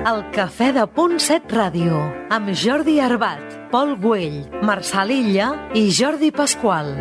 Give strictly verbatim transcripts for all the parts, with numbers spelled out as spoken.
El Cafè de Punt set Ràdio, amb Jordi Arbat, Pol Güell, Marçal Illa i Jordi Pasqual.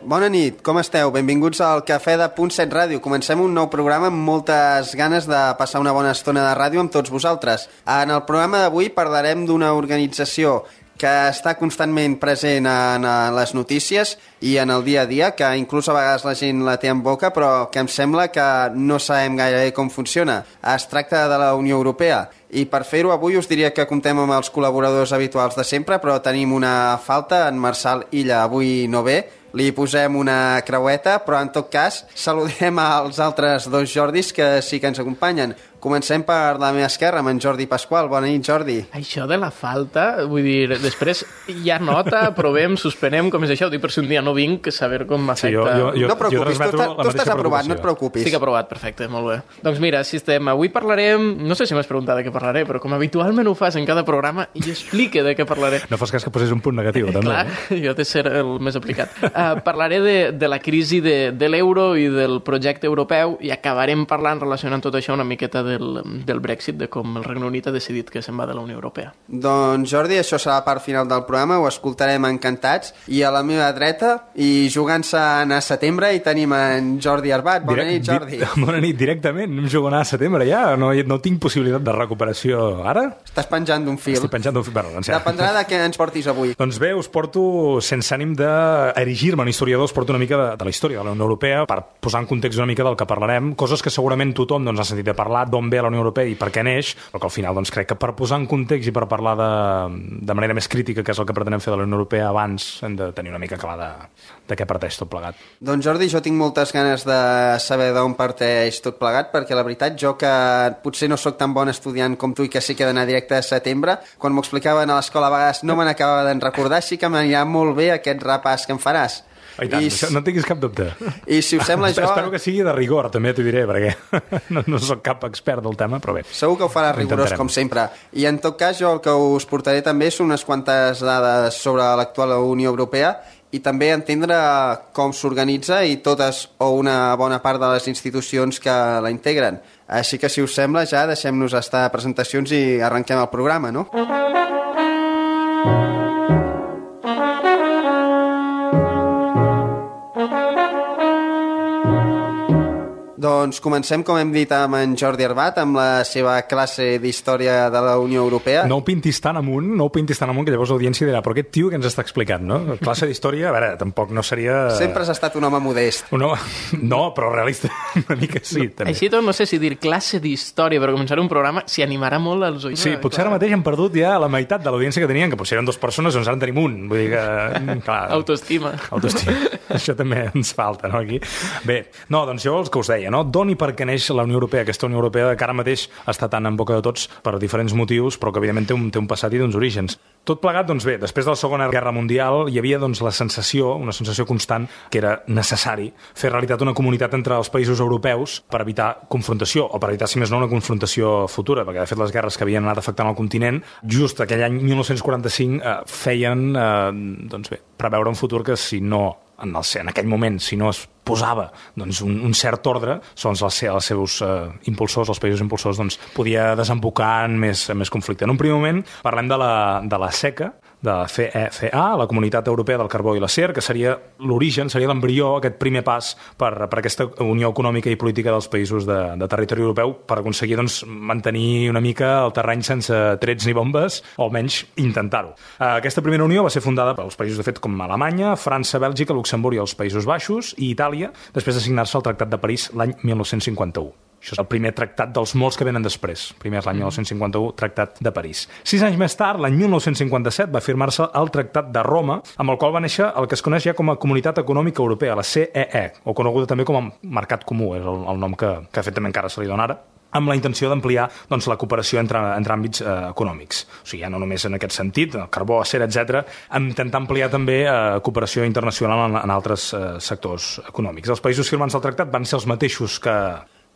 Bona nit, com esteu? Benvinguts al Cafè de Punt set Ràdio. Comencem un nou programa amb moltes ganes de passar una bona estona de ràdio amb tots vosaltres. En el programa d'avui parlarem d'una organització que està constantment present en les notícies i en el dia a dia, que inclús a vegades la gent la té en boca, però que em sembla que no sabem gaire com funciona. Es tracta de la Unió Europea. I per fer-ho avui us diria que comptem amb els col·laboradors habituals de sempre, però tenim una falta, en Marçal Illa avui no ve, li posem una creueta, però en tot cas saludem als altres dos Jordis que sí que ens acompanyen. Comencem per la meva esquerra, amb en Jordi Pasqual. Bona nit, Jordi. Això de la falta, vull dir, després ja nota, provem, suspenem, com és això, ho dic per si un dia no vinc, saber com m'afecta. Sí, jo, jo, jo, no et preocupis, jo tu, tu estàs aprovat, no et preocupis. Estic aprovat, perfecte, molt bé. Doncs mira, si estem, avui parlarem, no sé si m'has preguntat de què parlaré, però com habitualment ho fas en cada programa, jo explique de què parlaré. No fas cas que posés un punt negatiu, també. Clar, eh? Jo he de ser el més aplicat. Uh, parlaré de, de la crisi de, de l'euro i del projecte europeu i acabarem parlant, relacionant tot això, una miqueta del, del Brexit, de com el Regne Unit ha decidit que se'n va de la Unió Europea. Doncs Jordi, això serà la part final del programa, ho escoltarem encantats. I a la meva dreta, i jugant-se a anar a setembre, hi tenim en Jordi Arbat. Bona Direct, nit, Jordi. Di bona nit, directament. Em jugo a anar a setembre ja. No, no tinc possibilitat de recuperació ara. Estàs penjant d'un fil. Estic penjant d'un fil. Bueno, doncs ja. Dependrà de què ens portis avui. Doncs bé, us porto, sense ànim d'erigir-me en historiador, us porto una mica de, de la història de la Unió Europea per posar en context una mica del que parlarem. Coses que segurament tothom doncs, ha sentit a parlar, d'on ve la Unió Europea i per què neix, però que al final doncs, crec que per posar en context i per parlar de, de manera més crítica, que és el que pretenem fer de la Unió Europea, abans hem de tenir una mica clar de, de què parteix tot plegat. Doncs Jordi, jo tinc moltes ganes de saber d'on parteix tot plegat, perquè la veritat jo que potser no sóc tan bon estudiant com tu i que sí que he d'anar directe a setembre, quan m'ho explicaven a l'escola a vegades no me n'acabava d'en recordar, sí que m'anirà molt bé aquest repàs que em faràs. Oh, i tant, I, no tinguis cap dubte. I si us sembla jo... Espero que sigui de rigor, també t'ho diré, perquè no, no soc cap expert del tema, però bé. Segur que ho farà rigorós, com sempre. I en tot cas, jo el que us portaré també són unes quantes dades sobre l'actual Unió Europea i també entendre com s'organitza i totes o una bona part de les institucions que la integren. Així que, si us sembla, ja deixem-nos estar a presentacions i arrenquem el programa, no? Doncs comencem, com hem dit, amb en Jordi Arbat, amb la seva classe d'història de la Unió Europea. No ho pintis tan amunt, no ho pintis tan amunt, que llavors l'audiència dirà, però aquest tio que ens està explicant, no? Classe d'història, a veure, tampoc no seria... Sempre has estat un home modest. Un home... No, però realista, una mica sí, també. Així tot, no sé si dir classe d'història per començar un programa, s'hi animarà molt als oients. Sí, potser ara mateix hem perdut ja la meitat de l'audiència que tenien, que potser eren dues persones, doncs ara en tenim un. Vull dir que... Clar, autoestima. Autoestima. Això també ens falta, no, aquí? Bé, no, doncs jo el que us deia, no? D'on i per què neix la Unió Europea, aquesta Unió Europea que ara mateix està tan en boca de tots per diferents motius, però que evidentment té un, té un passat i d'uns orígens. Tot plegat, doncs bé, després de la Segona Guerra Mundial hi havia doncs, la sensació, una sensació constant, que era necessari fer realitat una comunitat entre els països europeus per evitar confrontació, o per evitar, si més no, una confrontació futura, perquè de fet les guerres que havien anat afectant el continent, just aquell any dinou quaranta-cinc eh, feien eh, doncs bé, preveure un futur que si no en, el, en aquell moment, si no es posava doncs, un, un cert ordre, doncs els, els seus eh, impulsors, els països impulsors, doncs, podia desembocar en més, en més conflicte. En un primer moment parlem de la, de la SECA, de la C E C A, la Comunitat Europea del Carbó i l'Acer, que seria l'origen, seria l'embrió, aquest primer pas per, per aquesta unió econòmica i política dels països de, de territori europeu per aconseguir doncs, mantenir una mica el terreny sense trets ni bombes, o almenys intentar-ho. Aquesta primera unió va ser fundada pels països de fet com Alemanya, França, Bèlgica, Luxemburg i els Països Baixos i Itàlia, després de signar-se el Tractat de París l'any dinou cinquanta-u. Això és el primer tractat dels molts que venen després. Primer és l'any dinou cinquanta-u, Tractat de París. Sis anys més tard, l'any dinou cinquanta-set, va firmar-se el Tractat de Roma, amb el qual va néixer el que es coneix ja com a Comunitat Econòmica Europea, la C E E, o coneguda també com a Mercat Comú, és el, el nom que, que de fet també encara se li dona ara, amb la intenció d'ampliar doncs, la cooperació entre, entre àmbits eh, econòmics. O sigui, ja no només en aquest sentit, el carbó, acer, etcètera, intentar ampliar també eh, cooperació internacional en, en altres eh, sectors econòmics. Els països firmants del tractat van ser els mateixos que,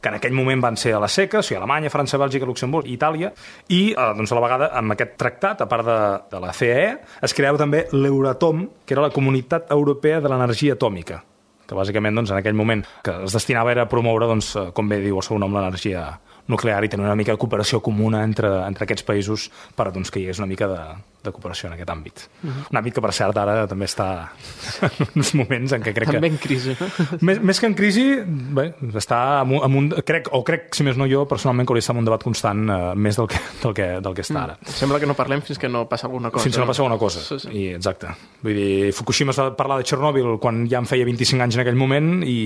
que en aquell moment van ser a la SECA, o sigui, Alemanya, França, Bèlgica, Luxemburg i Itàlia, i eh, doncs, a la vegada amb aquest tractat, a part de, de la C E E, es creava també l'Euratom, que era la Comunitat Europea de l'Energia Atòmica, que bàsicament doncs, en aquell moment que es destinava era a promoure, doncs, com bé diu el seu nom, l'energia nuclear i tenir una mica de cooperació comuna entre, entre aquests països per doncs, que hi hagués una mica de, de cooperació en aquest àmbit. Uh-huh. Un àmbit que, per cert, ara també està en uns moments en què crec que... També en crisi, no? Més, més que en crisi, bé, està en un, en un, crec, o crec, si més no jo, personalment, que hauria d'estar en un debat constant uh, més del que, del, que, del que està ara. Mm. Sembla que no parlem fins que no passa alguna cosa. Fins que no, no passa alguna cosa, sí, sí. I, exacte. Vull dir, Fukushima es va parlar de Chernobyl quan ja en feia vint-i-cinc anys en aquell moment i,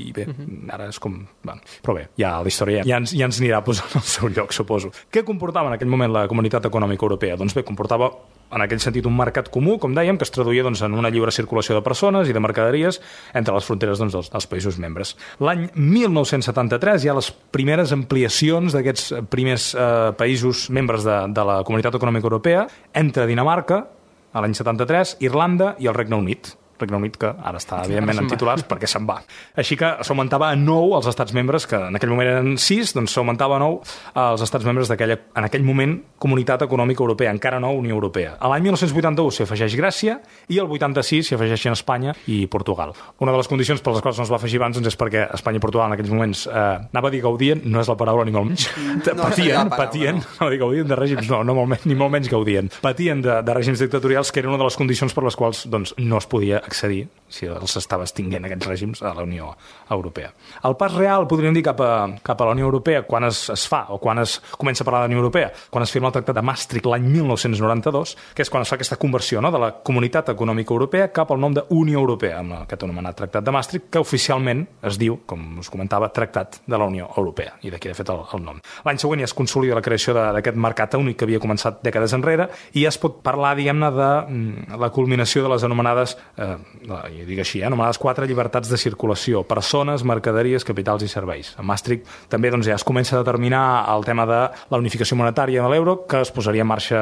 i bé, uh-huh. ara és com... Bueno, però bé, ja la història ja ens, ja ens anirà posant al seu lloc, suposo. Què comportava en aquell moment la Comunitat Econòmica Europea? Doncs bé, comportava en aquell sentit un mercat comú, com dèiem, que es traduïa doncs, en una lliure circulació de persones i de mercaderies entre les fronteres doncs, dels, dels països membres. L'any mil nou-cents setanta-tres hi ha les primeres ampliacions d'aquests primers eh, països membres de, de la Comunitat Econòmica Europea entre Dinamarca, a l'any setanta-tres, Irlanda i el Regne Unit. Regne Unit, que ara està, evidentment, en titulars perquè se'n va. Així que s'augmentava a nou els estats membres, que en aquell moment eren sis, doncs s'augmentava a nou els estats membres d'aquella, en aquell moment, Comunitat Econòmica Europea, encara no Unió Europea. A l'any mil nou-cents vuitanta-u s'hi afegeix Grècia i el vuitanta-sis s'hi afegeixen Espanya i Portugal. Una de les condicions per les quals no es va afegir abans doncs, és perquè Espanya i Portugal en aquells moments, eh, anava a dir gaudien, no és la paraula ni molt menys, no, patien, no patien, no. no dir gaudien de règims, no, no molt menys, ni molt menys gaudien, patien de, de règims dictatorials, que era una de les condicions per les quals doncs, no es podia accedir, si els estava extinguent aquests règims, a la Unió Europea. El pas real, podríem dir, cap a, cap a la Unió Europea, quan es, es fa, o quan es comença a parlar de la Unió Europea, quan es firma el Tractat de Maastricht l'any mil nou-cents noranta-dos, que és quan es fa aquesta conversió, no?, de la Comunitat Econòmica Europea cap al nom de Unió Europea, amb aquest anomenat Tractat de Maastricht, que oficialment es diu, com us comentava, Tractat de la Unió Europea, i d'aquí, de fet, el, el nom. L'any següent ja es consolida la creació d'aquest mercat únic que havia començat dècades enrere, i ja es pot parlar, diguem-ne, de mm, la culminació de les anomenades, eh, jo dic així, eh, anomenades quatre llibertats de circulació, persones, mercaderies, capitals i serveis. A Maastricht també doncs, ja es comença a determinar el tema de la unificació monetària de l'euro, que es posaria en marxa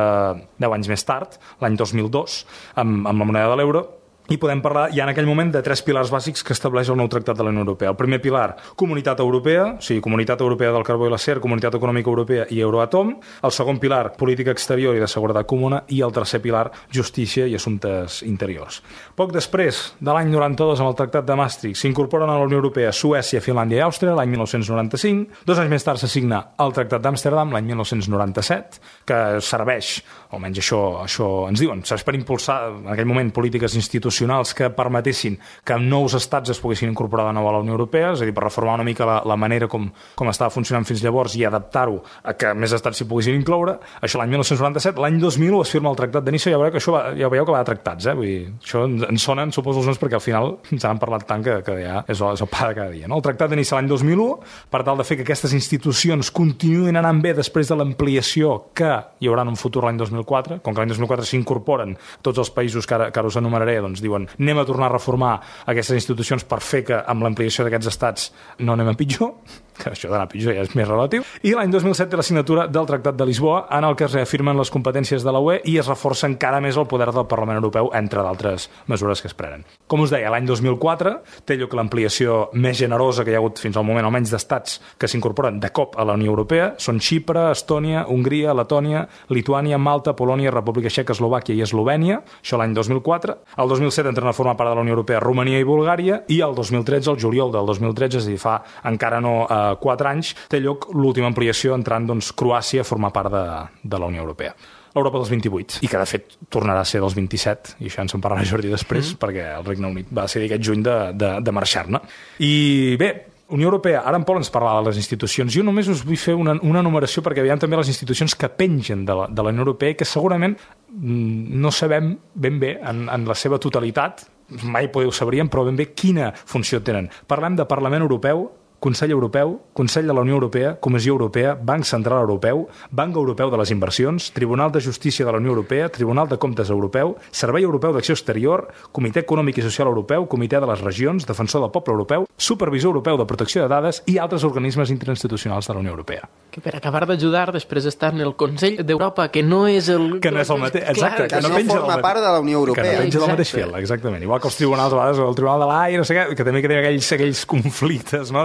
deu anys més tard, l'any dos mil dos, amb, amb la moneda de l'euro, i podem parlar ja en aquell moment de tres pilars bàsics que estableix el nou Tractat de la Unió Europea. El primer pilar, Comunitat Europea, o sigui, Comunitat Europea del Carbó i l'Acer, Comunitat Econòmica Europea i Euroatom. El segon pilar, Política Exterior i de Seguretat Comuna. I el tercer pilar, Justícia i Assumptes Interiors. Poc després, de l'any noranta-dos, amb el Tractat de Maastricht, s'incorporen a la Unió Europea Suècia, Finlàndia i Àustria, l'any mil nou-cents noranta-cinc. Dos anys més tard s'assigna el Tractat d'Amsterdam, l'any mil nou-cents noranta-set, que serveix, almenys això, això ens diuen, serveix per impulsar en aquell moment polítiques institucionals que permetessin que nous estats es poguessin incorporar de nou a la Unió Europea, és a dir, per reformar una mica la, la manera com, com estava funcionant fins llavors i adaptar-ho a que més estats s'hi poguessin incloure. Això l'any mil nou-cents noranta-set, l'any dos mil u es firma el Tractat de Niça, ja veieu que això va, ja veieu que va de tractats, eh? Vull dir, això ens sonen, suposo, els noms perquè al final ens han parlat tant que, que ja és el, és el pa de cada dia. No? El Tractat de Niça l'any dos mil u, per tal de fer que aquestes institucions continuïn anant bé després de l'ampliació que hi haurà en un futur l'any dos mil quatre, com que l'any dos mil quatre s'incorporen tots els països que ara, que ara us enumeraré, doncs diuen anem a tornar a reformar aquestes institucions per fer que amb l'ampliació d'aquests estats no anem a pitjor, que això d'anar a pitjor ja és més relatiu, i l'any dos mil set té la signatura del Tractat de Lisboa, en el que es reafirmen les competències de la U E i es reforça encara més el poder del Parlament Europeu, entre d'altres mesures que es prenen. Com us deia, l'any dos mil quatre té lloc l'ampliació més generosa que hi ha hagut fins al moment, almenys d'estats que s'incorporen de cop a la Unió Europea, són Xipre, Estònia, Hongria, Letònia, Lituània, Malta, Polònia, República Txeca, Eslovàquia i Eslovènia, això l'any dos mil quatre. El dos mil set entren a formar part de la Unió Europea Romania i Bulgària, i el dos mil tretze, el juliol del dos mil tretze, és a dir, fa encara no eh, quatre anys, té lloc l'última ampliació entrant doncs, Croàcia a formar part de, de la Unió Europea. L'Europa dels vint-i-vuit, i que de fet tornarà a ser dels vint-i-set, i això ens en parlarà Jordi després, mm. perquè el Regne Unit va decidir aquest juny de, de, de marxar-ne. I bé, Unió Europea, ara en Pol ens parla de les institucions. Jo només us vull fer una, una numeració perquè veiem també les institucions que pengen de la, de la Unió Europea i que segurament no sabem ben bé en, en la seva totalitat, mai podeu sabríem, però ben bé quina funció tenen. Parlem de Parlament Europeu, Consell Europeu, Consell de la Unió Europea, Comissió Europea, Banc Central Europeu, Banc Europeu de les Inversions, Tribunal de Justícia de la Unió Europea, Tribunal de Comptes Europeu, Servei Europeu d'Acció Exterior, Comitè Econòmic i Social Europeu, Comitè de les Regions, Defensor del Poble Europeu, Supervisor Europeu de Protecció de Dades i altres organismes interinstitucionals de la Unió Europea. Que per acabar d'ajudar després està en el Consell d'Europa, que no és el... Que no és el mateix, exacte. Que, que no, no forma part de la Unió Europea. Que no penja del mateix fil, exactament. Igual que els tribunals, a vegades, el Tribunal de l'Aire, no sé què, que també que té aquells, aquells conflictes, no?,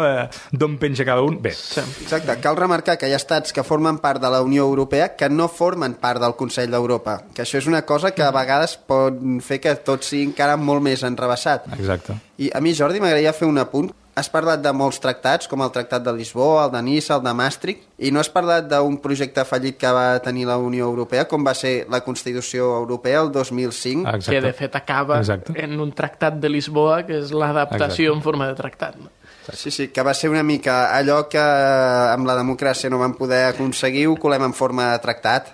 d'on penja cada un. Bé. Sí. Exacte. Cal remarcar que hi ha estats que formen part de la Unió Europea que no formen part del Consell d'Europa. Que això és una cosa que a vegades pot fer que tot sigui encara molt més enrevessat. Exacte. I a mi, Jordi, m'agradaria fer un apunt. Has parlat de molts tractats, com el Tractat de Lisboa, el de Niça, el de Maastricht, i no has parlat d'un projecte fallit que va tenir la Unió Europea, com va ser la Constitució Europea el dos mil cinc. Exacte. Que, de fet, acaba Exacte. en un tractat de Lisboa, que és l'adaptació en forma de tractat. No? Sí, sí, que va ser una mica allò que amb la democràcia no vam poder aconseguir, ho colem en forma de tractat.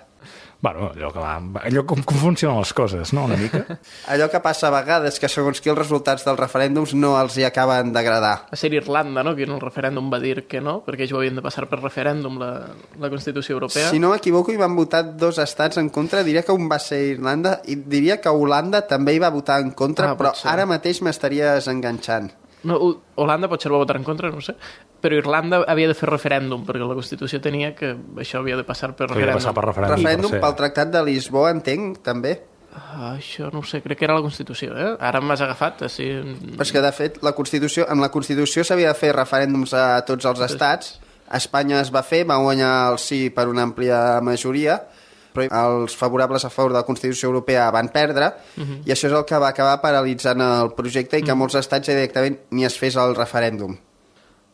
Bueno, allò, que va, allò com, com funcionen les coses, no?, una mica. Allò que passa a vegades, que segons qui els resultats dels referèndums no els hi acaben d'agradar. Va ser Irlanda, no?, que en el referèndum va dir que no, perquè ells ho havien de passar per referèndum, la, la Constitució Europea. Si no m'equivoco, hi van votar dos estats en contra. Diria que un va ser Irlanda i diria que Holanda també hi va votar en contra, ah, però ara mateix m'estaries enganxant. No, Holanda potser va votar en contra, no sé, però Irlanda havia de fer referèndum, perquè la Constitució tenia que això havia de passar per referèndum. Passar per referèndum, referèndum per pel Tractat de Lisboa, entenc, també. Ah, això no ho sé, crec que era la Constitució, eh? Ara m'has agafat, així... Però és que, de fet, la Constitució, amb la Constitució s'havia de fer referèndums a tots els estats. A Espanya es va fer, va guanyar el sí per una àmplia majoria, però els favorables a favor de la Constitució Europea van perdre, uh-huh. i això és el que va acabar paralitzant el projecte i que uh-huh. molts estats ja directament ni es fes el referèndum.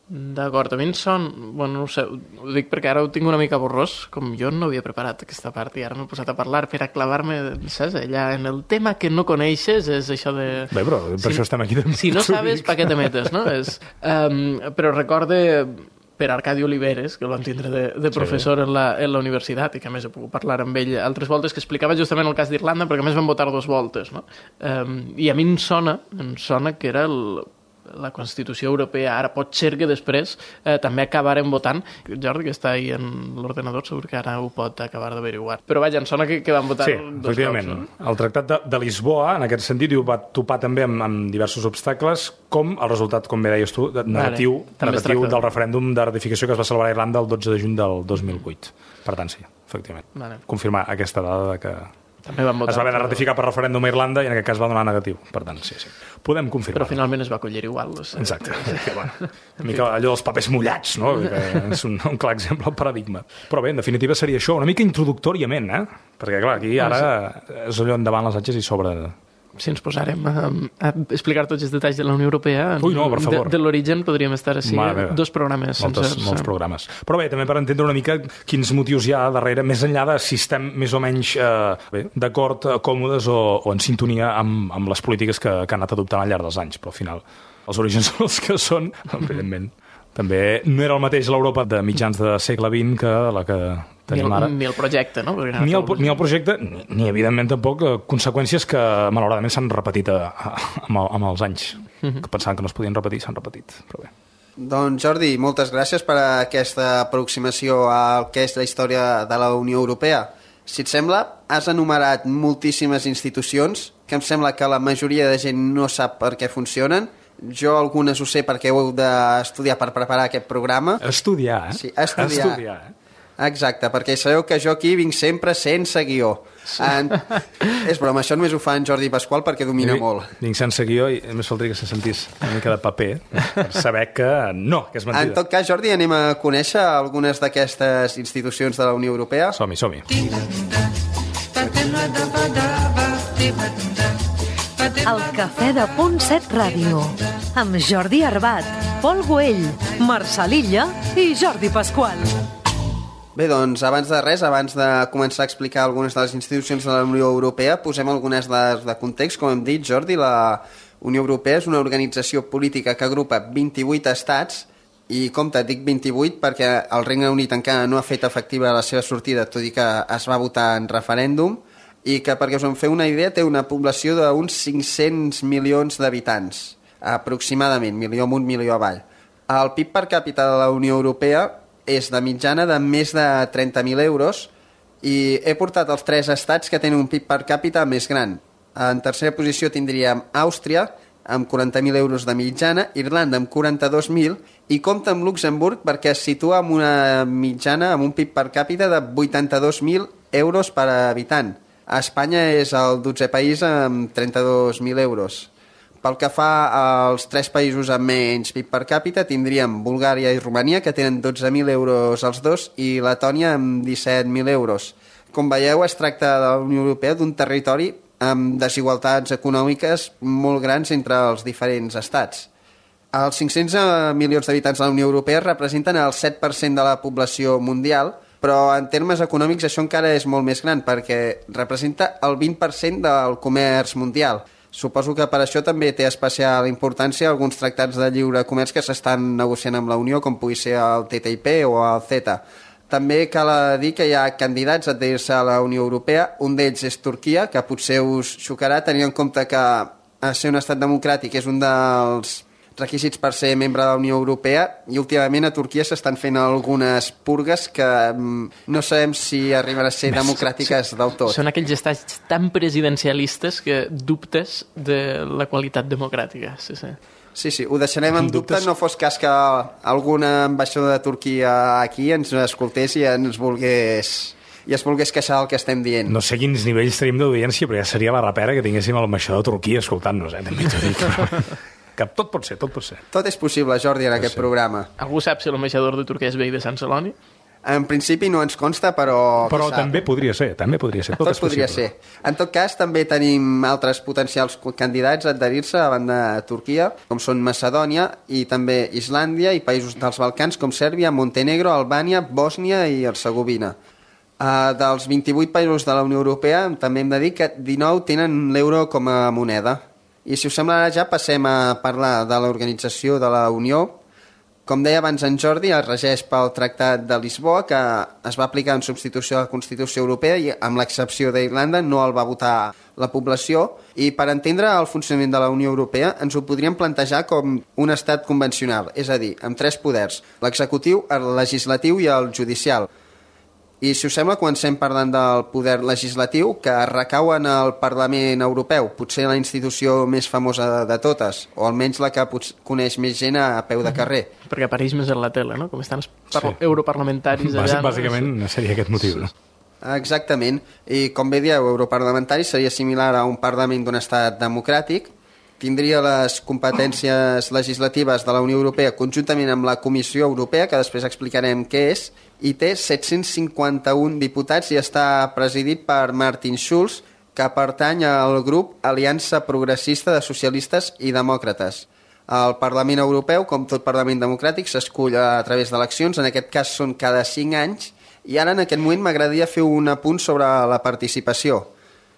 D'acord, a mi en son... Bueno, no sé, ho dic perquè ara ho tinc una mica borrós, com jo no havia preparat aquesta part i ara m'he posat a parlar per a clavar-me, saps, allà en el tema que no coneixes, és això de... Bé, però per si, això estem aquí. Si no sabes, pa què te metes, no? És, um, però recorde... per Arcadi Oliveres, que el vam tindre de, de professor sí. en, la, en la universitat, i que a més he pogut parlar amb ell altres voltes, que explicava justament el cas d'Irlanda, perquè a més van votar dues voltes, no? Um, I a mi em sona, em sona que era el, la Constitució Europea. Ara pot ser que després eh, també acabarem votant. Jordi, que està ahí en l'ordenador, segur que ara ho pot acabar d'averiguar. Però vaja, em sona que, que van votar sí, dos efectivament. cops. No? El Tractat de, de Lisboa, en aquest sentit, ho va topar també amb, amb diversos obstacles, com el resultat, com bé deies tu, negatiu, vale, negatiu del referèndum de ratificació que es va celebrar a Irlanda el dotze de juny del dos mil vuit. Per tant, sí, efectivament. Vale. Confirmar aquesta dada de que també van votar, es va haver de ratificar per referèndum a Irlanda i en aquest cas va donar negatiu. Per tant, sí, sí. Podem confirmar. Però finalment es va acollir igual. O sigui. Exacte. Que, bueno, una mica allò dels papers mullats, no? Que és un, un clar exemple, el paradigma. Però bé, en definitiva seria això, una mica introductòriament, eh? Perquè, clar, aquí ara és allò endavant les atxes i sobre... Si ens posarem a, a explicar tots els detalls de la Unió Europea, Ui, no, per favor. De, de l'origen podríem estar així, dos programes. Moltes, sencers. Molts programes. Però bé, també per entendre una mica quins motius hi ha darrere, més enllà de si estem més o menys eh, d'acord, còmodes o, o en sintonia amb, amb les polítiques que, que han anat adoptant al llarg dels anys. Però al final els orígens són els que són, evidentment. També no era el mateix l'Europa de mitjans de segle vint que la que tenim ni el, ara. Ni el projecte, no? Ni el, ni el projecte, ni, ni evidentment tampoc conseqüències que malauradament s'han repetit a, a, amb, amb els anys. Uh-huh. Que pensaven que no es podien repetir, s'han repetit. Però bé. Doncs Jordi, moltes gràcies per aquesta aproximació al que és la història de la Unió Europea. Si et sembla, has enumerat moltíssimes institucions que em sembla que la majoria de gent no sap per què funcionen. Jo algunes ho sé perquè ho heu d'estudiar per preparar aquest programa. Estudiar, eh? Sí, estudiar. Estudiar, eh? Exacte, perquè sabeu que jo aquí vinc sempre sense guió. Sí. En... És broma, això només ho fa en Jordi Pasqual perquè domina vinc, molt. Vinc sense guió i només faltaria que se sentís una mica de paper per saber que no, que és mentida. En tot cas, Jordi, anem a conèixer algunes d'aquestes institucions de la Unió Europea. Som-hi, som-hi. El Cafè de Punt set Ràdio, amb Jordi Arbat, Pol Güell, Marçal Illa i Jordi Pasqual. Bé, doncs, abans de res, abans de començar a explicar algunes de les institucions de la Unió Europea, posem algunes dades de context. Com hem dit, Jordi, la Unió Europea és una organització política que agrupa vint-i-vuit estats, i compte, dic vint-i-vuit perquè el Regne Unit encara no ha fet efectiva la seva sortida, tot i que es va votar en referèndum, i que, perquè us en feu una idea, té una població d'uns cinc-cents milions d'habitants, aproximadament, milió amunt, milió avall. El P I B per càpita de la Unió Europea és de mitjana de més de trenta mil euros i he portat els tres estats que tenen un P I B per càpita més gran. En tercera posició tindríem Àustria, amb quaranta mil euros de mitjana, Irlanda amb quaranta-dos mil i compta amb Luxemburg perquè es situa amb una mitjana, amb un P I B per càpita de vuitanta-dos mil euros per habitant. A Espanya és el dotzè país amb trenta-dos mil euros. Pel que fa als tres països amb menys P I B per càpita, tindríem Bulgària i Romania, que tenen dotze mil euros els dos, i Letònia amb disset mil euros. Com veieu, es tracta de la Unió Europea d'un territori amb desigualtats econòmiques molt grans entre els diferents estats. Els cinc-cents milions d'habitants de la Unió Europea representen el set per cent de la població mundial, però en termes econòmics això encara és molt més gran, perquè representa el vint per cent del comerç mundial. Suposo que per això també té especial importància alguns tractats de lliure comerç que s'estan negociant amb la Unió, com pugui ser el T T I P o el CETA. També cal dir que hi ha candidats a adherir-se a la Unió Europea. Un d'ells és Turquia, que potser us xocarà, tenint en compte que ser un estat democràtic és un dels requisits per ser membre de la Unió Europea, i últimament a Turquia s'estan fent algunes purgues que no sabem si arriben a ser democràtiques del tot. Són aquells estats tan presidencialistes que dubtes de la qualitat democràtica. Sí, sí. Sí, sí, ho deixarem en dubte, no fos cas que algun ambaixador de Turquia aquí ens escoltés i ens volgués i es volgués queixar del que estem dient. No sé quins nivells tenim d'audiència, però ja seria la rapera que tinguéssim l'ambaixador de Turquia escoltant-nos, eh? També t'ho dic. Que tot pot ser, tot pot ser. Tot és possible, Jordi, en aquest programa. Algú sap si l'ambaixador de Turquia és veí de Sant Celoni? En principi no ens consta, però... Però també podria ser, també podria ser. Tot, tot podria ser. En tot cas, també tenim altres potencials candidats a adherir-se a banda de Turquia, com són Macedònia i també Islàndia i països dels Balcans com Sèrbia, Montenegro, Albània, Bòsnia i Hercegovina. Uh, dels vint-i-vuit països de la Unió Europea també hem de dir que dinou tenen l'euro com a moneda. I si us sembla, ara ja passem a parlar de l'organització de la Unió. Com deia abans en Jordi, es regeix pel Tractat de Lisboa, que es va aplicar en substitució a la Constitució Europea i, amb l'excepció d'Irlanda, no el va votar la població. I per entendre el funcionament de la Unió Europea ens ho podríem plantejar com un estat convencional, és a dir, amb tres poders, l'executiu, el legislatiu i el judicial. I si us sembla, comencem parlant del poder legislatiu, que recau en el Parlament Europeu, potser la institució més famosa de, de totes, o almenys la que potser coneix més gent a, a peu de carrer. Perquè apareix més en la tele, no? Com estan els sí. europarlamentaris allà. Bàsicament no? seria aquest motiu, no? Exactament. I com bé dieu, europarlamentari seria similar a un Parlament d'un estat democràtic, tindria les competències legislatives de la Unió Europea conjuntament amb la Comissió Europea, que després explicarem què és, i té set-cents cinquanta-un diputats i està presidit per Martin Schulz, que pertany al grup Aliança Progressista de Socialistes i Demòcrates. El Parlament Europeu, com tot Parlament democràtic, s'escull a través d'eleccions, en aquest cas són cada cinc anys, i ara en aquest moment m'agradaria fer un apunt sobre la participació.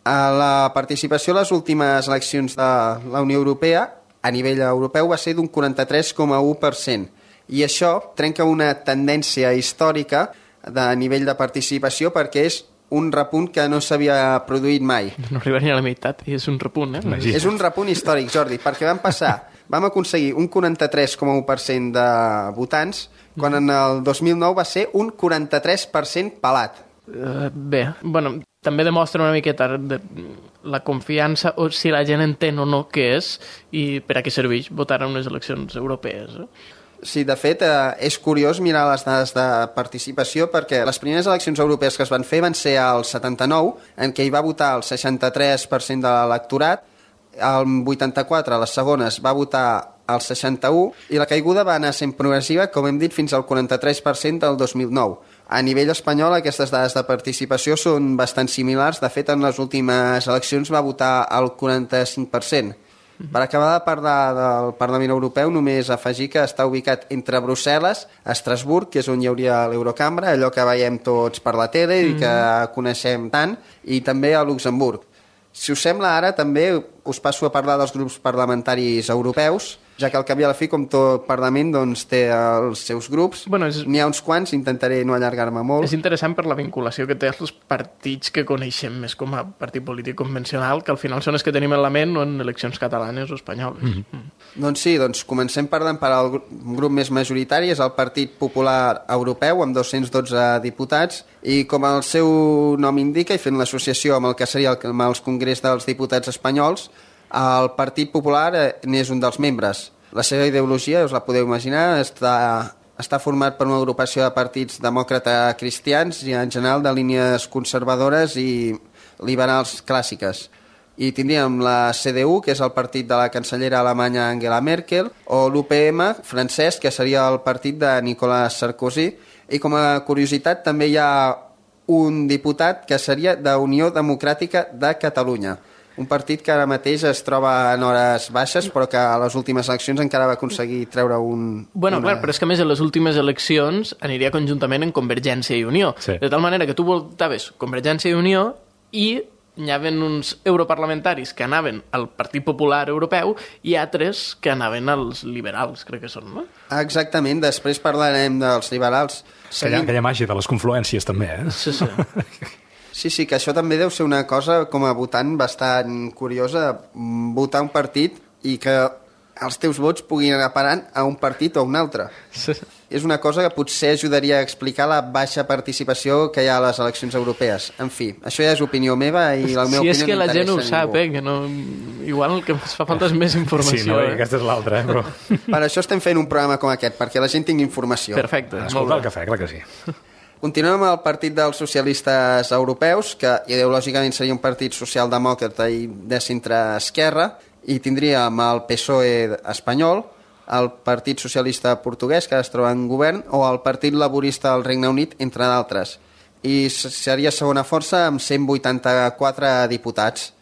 La participació a les últimes eleccions de la Unió Europea a nivell europeu va ser d'un quaranta-tres coma u per cent i això trenca una tendència històrica de nivell de participació perquè és un repunt que no s'havia produït mai. No arriba ni a la meitat i és un repunt, eh? Imagina. És un repunt històric, Jordi, perquè vam passar, vam aconseguir un quaranta-tres coma u per cent de votants quan en el dos mil nou va ser un quaranta-tres per cent pelat. Uh, bé, bueno, també demostra una miqueta de la confiança o si la gent entén o no què és i per a què serveix votar en unes eleccions europees. Eh? Sí, de fet, eh, és curiós mirar les dades de participació perquè les primeres eleccions europees que es van fer van ser al setanta-nou, en què hi va votar el seixanta-tres per cent de l'electorat, el vuitanta-quatre, les segones, va votar el seixanta-u i la caiguda va anar sent progressiva, com hem dit, fins al quaranta-tres per cent del dos mil nou. A nivell espanyol, aquestes dades de participació són bastant similars. De fet, en les últimes eleccions va votar el quaranta-cinc per cent. Per acabar de parlar del Parlament Europeu, només afegir que està ubicat entre Brussel·les, Estrasburg, que és on hi hauria l'Eurocambra, allò que veiem tots per la tele i que coneixem tant, i també a Luxemburg. Si us sembla, ara també us passo a parlar dels grups parlamentaris europeus, ja que al cap i a la fi, com tot Parlament, doncs, té els seus grups. Bueno, és... N'hi ha uns quants, intentaré no allargar-me molt. És interessant per la vinculació que té els partits que coneixem més com a partit polític convencional, que al final són els que tenim en la ment o en eleccions catalanes o espanyoles. Mm -hmm. mm. Doncs sí, doncs comencem parlant per al grup més majoritari, és el Partit Popular Europeu, amb dos-cents dotze diputats, i com el seu nom indica, i fent l'associació amb el que seria el, amb els Congrés dels Diputats espanyols, El Partit Popular n'és un dels membres. La seva ideologia, us la podeu imaginar, està, està format per una agrupació de partits demòcrates cristians i en general de línies conservadores i liberals clàssiques. I tindríem la C D U, que és el partit de la cancellera alemanya Angela Merkel, o l'U P M francès, que seria el partit de Nicolas Sarkozy. I com a curiositat també hi ha un diputat que seria d'Unió Democràtica de Catalunya, un partit que ara mateix es troba en hores baixes, però que a les últimes eleccions encara va aconseguir treure un... Bueno, una... clar, però és que a més en les últimes eleccions aniria conjuntament en Convergència i Unió. Sí. De tal manera que tu votaves Convergència i Unió i hi havia uns europarlamentaris que anaven al Partit Popular Europeu i altres que anaven als liberals, crec que són, no? Exactament, després parlarem dels liberals. Aquella, aquella màgia de les confluències també, eh? Sí, sí. Sí, sí, que això també deu ser una cosa com a votant bastant curiosa, votar un partit i que els teus vots puguin anar parant a un partit o a un altre. Sí. És una cosa que potser ajudaria a explicar la baixa participació que hi ha a les eleccions europees. En fi, això ja és opinió meva i la meva sí, opinió és que no la gent ho interessa a sap, eh? Que no... Igual el que ens fa falta és més informació. Sí, no, eh? aquesta és l'altra, eh? Però... Per això estem fent un programa com aquest, perquè la gent tingui informació. Perfecte. Escolta el cafè, clar que sí. Continuem amb el Partit dels Socialistes Europeus, que ideològicament seria un partit socialdemòcrata i de centre-esquerra, i tindríem el P S O E espanyol, el Partit Socialista Portuguès, que es troba en govern, o el Partit Laborista del Regne Unit, entre d'altres. I seria segona força amb cent vuitanta-quatre diputats.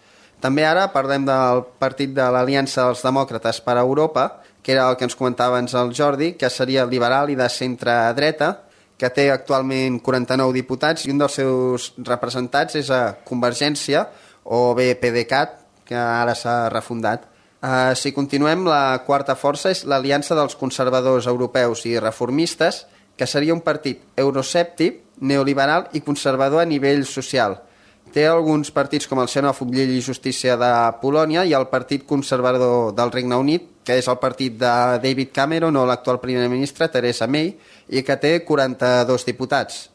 També ara parlem del Partit de l'Aliança dels Demòcrates per a Europa, que era el que ens comentava abans el Jordi, que seria liberal i de centre-dreta, que té actualment quaranta-nou diputats i un dels seus representats és a Convergència o bé PDeCAT, que ara s'ha refundat. Uh, si continuem, la quarta força és l'Aliança dels Conservadors Europeus i Reformistes, que seria un partit euroscèptic, neoliberal i conservador a nivell social. Té alguns partits com el xenòfob Llei i Justícia de Polònia i el Partit Conservador del Regne Unit, que és el partit de David Cameron o l'actual primer ministre Theresa May, i que té quaranta-dos diputats.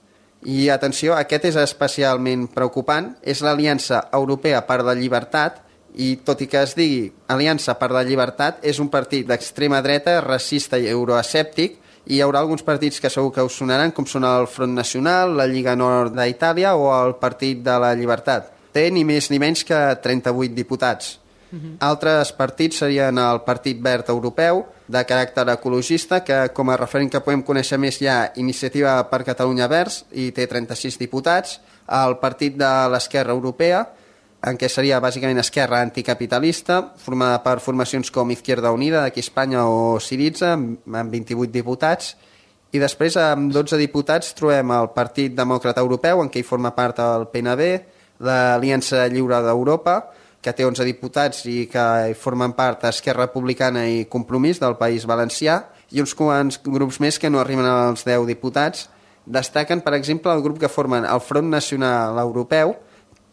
I atenció, aquest és especialment preocupant, és l'Aliança Europea per la Llibertat, i tot i que es digui Aliança per la Llibertat, és un partit d'extrema dreta, racista i euroescèptic, i hi haurà alguns partits que segur que us sonaran, com són el Front Nacional, la Lliga Nord d'Itàlia o el Partit de la Llibertat. Té ni més ni menys que trenta-vuit diputats. Uh-huh. Altres partits serien el Partit Verd Europeu, de caràcter ecologista, que com a referent que podem conèixer més hi ha Iniciativa per Catalunya Verds, i té trenta-sis diputats, el Partit de l'Esquerra Europea, en què seria bàsicament esquerra anticapitalista, formada per formacions com Izquierda Unida, d'aquí a Espanya, o Syriza, amb vint-i-vuit diputats, i després amb dotze diputats trobem el Partit Demòcrata Europeu, en què hi forma part el P N V, l'Aliança Lliure d'Europa, que té onze diputats i que hi formen part Esquerra Republicana i Compromís del País Valencià, i uns quants grups més que no arriben als deu diputats. Destaquen, per exemple, el grup que formen el Front Nacional Europeu,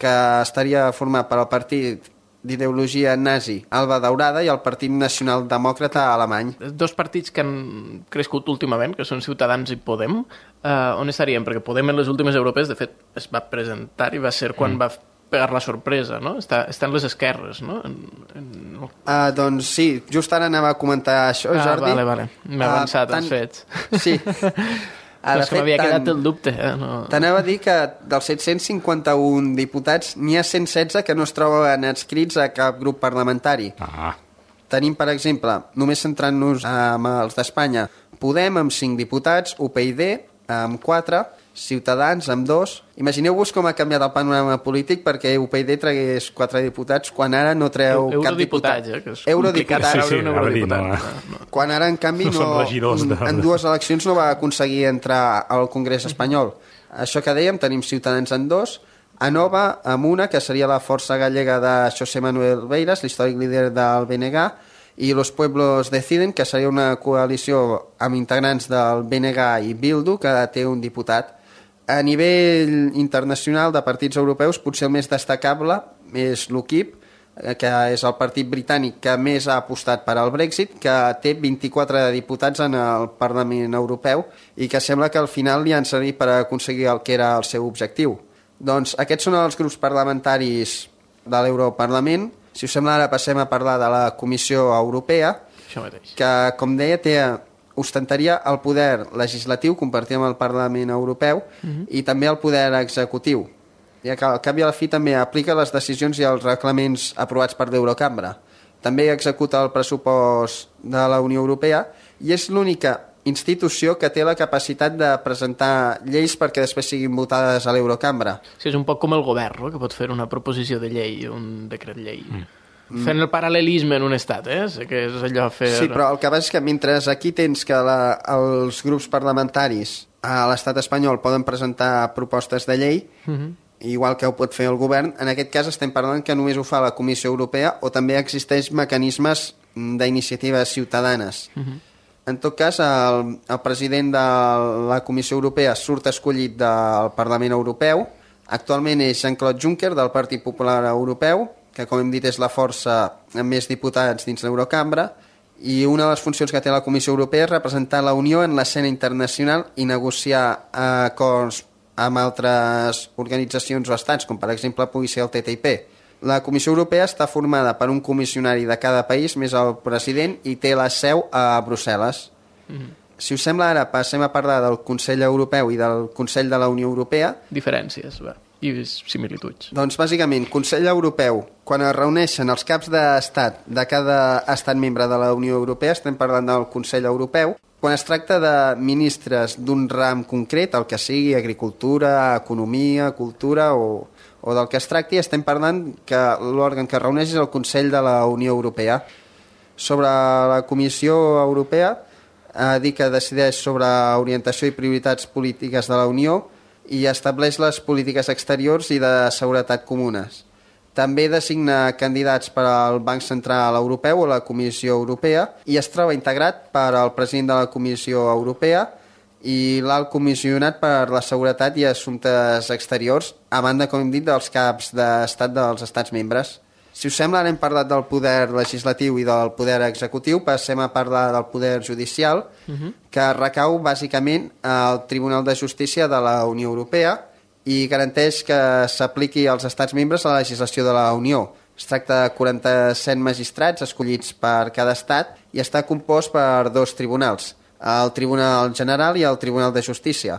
que estaria format per el partit d'ideologia nazi Alba Daurada i el Partit Nacional Demòcrata alemany. Dos partits que han crescut últimament, que són Ciutadans i Podem, eh, on estaríem? Perquè Podem en les últimes europees, de fet, es va presentar i va ser quan mm. va pegar la sorpresa, no? Està, està en les esquerres, no? En, en... Uh, doncs sí, just ara anava a comentar això, ah, Jordi. Vale, vale, m'he avançat uh, als fets. Sí. Ah, és que m'havia quedat el dubte. Eh? No... T'anava a dir que dels set-cents cinquanta-un diputats n'hi ha cent setze que no es troben adscrits a cap grup parlamentari. Ah. Tenim, per exemple, només centrant-nos amb els d'Espanya, Podem amb cinc diputats, U P y amb quatre, Ciutadans amb dos. Imagineu-vos com ha canviat el panorama polític perquè U P y tragués quatre diputats quan ara no treu Eu, cap diputat. Eh, que és Eurodiputat. complicat Sí, sí, un eurodiputat. no, no. No. Quan ara, en canvi, No no, són regidors de- en dues eleccions no va aconseguir entrar al Congrés espanyol. Això que dèiem, tenim Ciutadans en dos, Anova amb una, que seria la força gallega de José Manuel Beiras, l'històric líder del B N G, i Los Pueblos Deciden, que seria una coalició amb integrants del B N G i Bildu, que té un diputat. A nivell internacional de partits europeus, potser el més destacable és l'U K I P, que és el partit britànic que més ha apostat per al Brexit, que té vint-i-quatre diputats en el Parlament Europeu i que sembla que al final li han servit per aconseguir el que era el seu objectiu. Doncs aquests són els grups parlamentaris de l'Europarlament Si us sembla, ara passem a parlar de la Comissió Europea, Això mateix. que, com deia, té, ostentaria el poder legislatiu, compartit amb el Parlament Europeu, uh-huh. i també el poder executiu. Ja que al cap i a la fi també aplica les decisions i els reglaments aprovats per l'Eurocambra. També executa el pressupost de la Unió Europea i és l'única institució que té la capacitat de presentar lleis perquè després siguin votades a l'Eurocambra. Sí, és un poc com el govern, no? Que pot fer una proposició de llei, un decret llei. Mm. Fent el paral·lelisme en un estat, eh? Sé que és allò fer... Sí, però el que passa és que mentre aquí tens que la, els grups parlamentaris a l'estat espanyol poden presentar propostes de llei, mm-hmm. igual que ho pot fer el govern, en aquest cas estem parlant que només ho fa la Comissió Europea o també existeix mecanismes d'iniciatives ciutadanes. Mm-hmm. En tot cas, el, el president de la Comissió Europea surt escollit del Parlament Europeu. Actualment és Jean-Claude Juncker, del Partit Popular Europeu, que, com hem dit, és la força amb més diputats dins l'Eurocambra, i una de les funcions que té la Comissió Europea és representar la Unió en l'escena internacional i negociar acords amb altres organitzacions o estats, com per exemple pugui ser el T T I P. La Comissió Europea està formada per un comissionari de cada país, més el president, i té la seu a Brussel·les. Mm-hmm. Si us sembla, ara passem a parlar del Consell Europeu i del Consell de la Unió Europea. Diferències, va, i similituds. Doncs, bàsicament, Consell Europeu, quan es reuneixen els caps d'estat de cada estat membre de la Unió Europea, estem parlant del Consell Europeu, quan es tracta de ministres d'un ram concret, el que sigui, agricultura, economia, cultura o... o del que es tracti, estem parlant que l'òrgan que reuneix és el Consell de la Unió Europea. Sobre la Comissió Europea, eh, dir que decideix sobre orientació i prioritats polítiques de la Unió i estableix les polítiques exteriors i de seguretat comunes. També designa candidats per al Banc Central Europeu o la Comissió Europea i es troba integrat per al president de la Comissió Europea i l'alt comissionat per la seguretat i assumptes exteriors, a banda, com hem dit, dels caps d'estat dels estats membres. Si us sembla, ara hem parlat del poder legislatiu i del poder executiu, passem a parlar del poder judicial, uh-huh. que recau bàsicament al Tribunal de Justícia de la Unió Europea i garanteix que s'apliqui als estats membres la legislació de la Unió. Es tracta de quaranta-set magistrats escollits per cada estat i està compost per dos tribunals, el Tribunal General i el Tribunal de Justícia.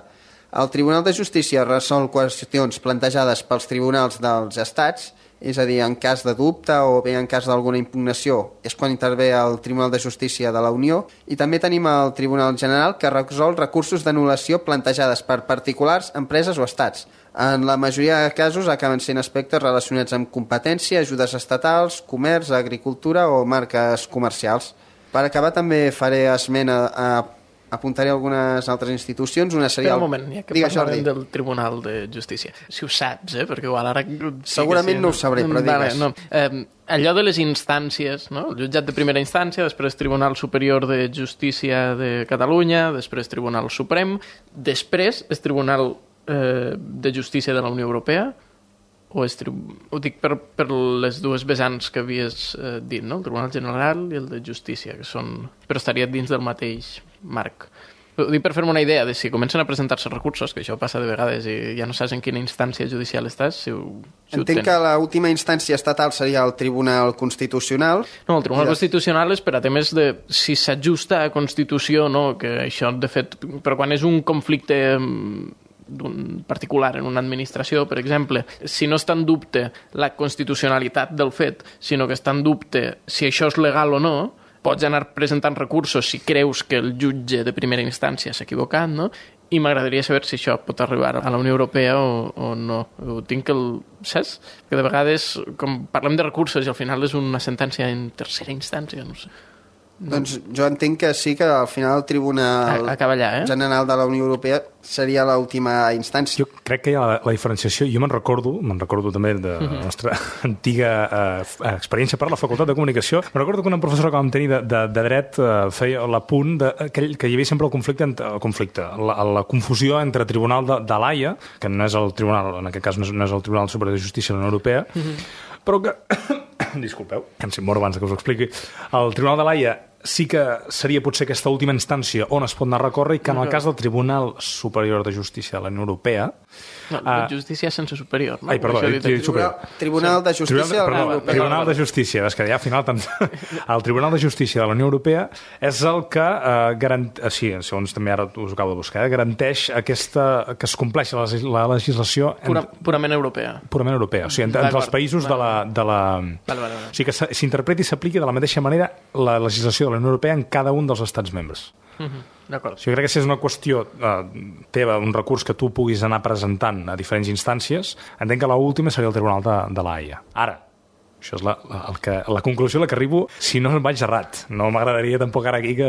El Tribunal de Justícia resol qüestions plantejades pels tribunals dels estats, és a dir, en cas de dubte o bé en cas d'alguna impugnació, és quan intervé el Tribunal de Justícia de la Unió, i també tenim el Tribunal General que resol recursos d'anul·lació plantejades per particulars, empreses o estats. En la majoria de casos acaben sent aspectes relacionats amb competència, ajudes estatals, comerç, agricultura o marques comercials. Per acabar també faré esmena a... apuntaré algunes altres institucions. Una seria... Espera un moment, ja que Digues, parlem Jordi. del Tribunal de Justícia. Si ho saps, eh? Perquè igual ara... Sí Segurament sí, no ho sabré, però vale, digues. no. Eh, allò de les instàncies, no? El jutjat de primera instància, després Tribunal Superior de Justícia de Catalunya, després Tribunal Suprem, després el Tribunal eh, de Justícia de la Unió Europea, o és tri... ho dic per, per les dues vessants que havies eh, dit, no? El Tribunal General i el de Justícia, que són... però estaria dins del mateix marc. Ho dic per fer-me una idea de si comencen a presentar-se recursos, que això passa de vegades i ja no saps en quina instància judicial estàs, si ho, si Entenc que l'última instància estatal seria el Tribunal Constitucional. No, el Tribunal I Constitucional és per a temes de si s'ajusta a Constitució o no, que això, de fet, però quan és un conflicte d'un particular en una administració, per exemple, si no està en dubte la constitucionalitat del fet, sinó que està en dubte si això és legal o no, pots anar presentant recursos si creus que el jutge de primera instància s'ha equivocat, no? I m'agradaria saber si això pot arribar a la Unió Europea o, o no. Ho tinc el... saps? Que de vegades, com parlem de recursos i al final és una sentència en tercera instància, no sé. No. Doncs jo entenc que sí que al final el Tribunal Acaba allà, eh? General de la Unió Europea seria l'última instància. Jo crec que hi ha la, la diferenciació. Jo me'n recordo, me'n recordo també de la nostra antiga eh, experiència per la Facultat de Comunicació. Me'n recordo que una professora que vam tenir de, de, de dret eh, feia l'apunt de, que, que hi havia sempre el conflicte, el conflicte la, la confusió entre Tribunal de, de l'Haia, que no és el Tribunal, en aquest cas no és, no és el Tribunal Superior de Justícia de la Unió Europea, mm-hmm. però que... disculpeu, que em sent mort abans que us ho expliqui. El Tribunal de l'Haia sí que seria potser aquesta última instància on es pot anar a recórrer i que en el cas del Tribunal Superior de Justícia de la Unió Europea... No, la justícia sense superior. No? Ai, perdó, he dit superior. Tribunal de Justícia de la Unió Europea. Tribunal de Justícia, és que ja al final... Tant... El Tribunal de Justícia de la Unió Europea és el que eh, garant... sí, segons també ara us ho acabo de buscar, eh, garanteix aquesta... que es compleixi la, la legislació... Pura, purament europea. Purament europea, o sigui, entre, entre els països de la... De la... Vale, vale, vale. O sigui, que s'interpreti i s'apliqui de la mateixa manera la legislació de la Unió Europea en cada un dels estats membres. Uh-huh. D'acord. O sigui, crec que si és una qüestió eh, teva, un recurs que tu puguis anar presentant a diferents instàncies, entenc que l'última seria el Tribunal de, de la Haia. Ara, això és la, la, el que, la conclusió a la que arribo, si no vaig errat. No m'agradaria tampoc ara aquí que,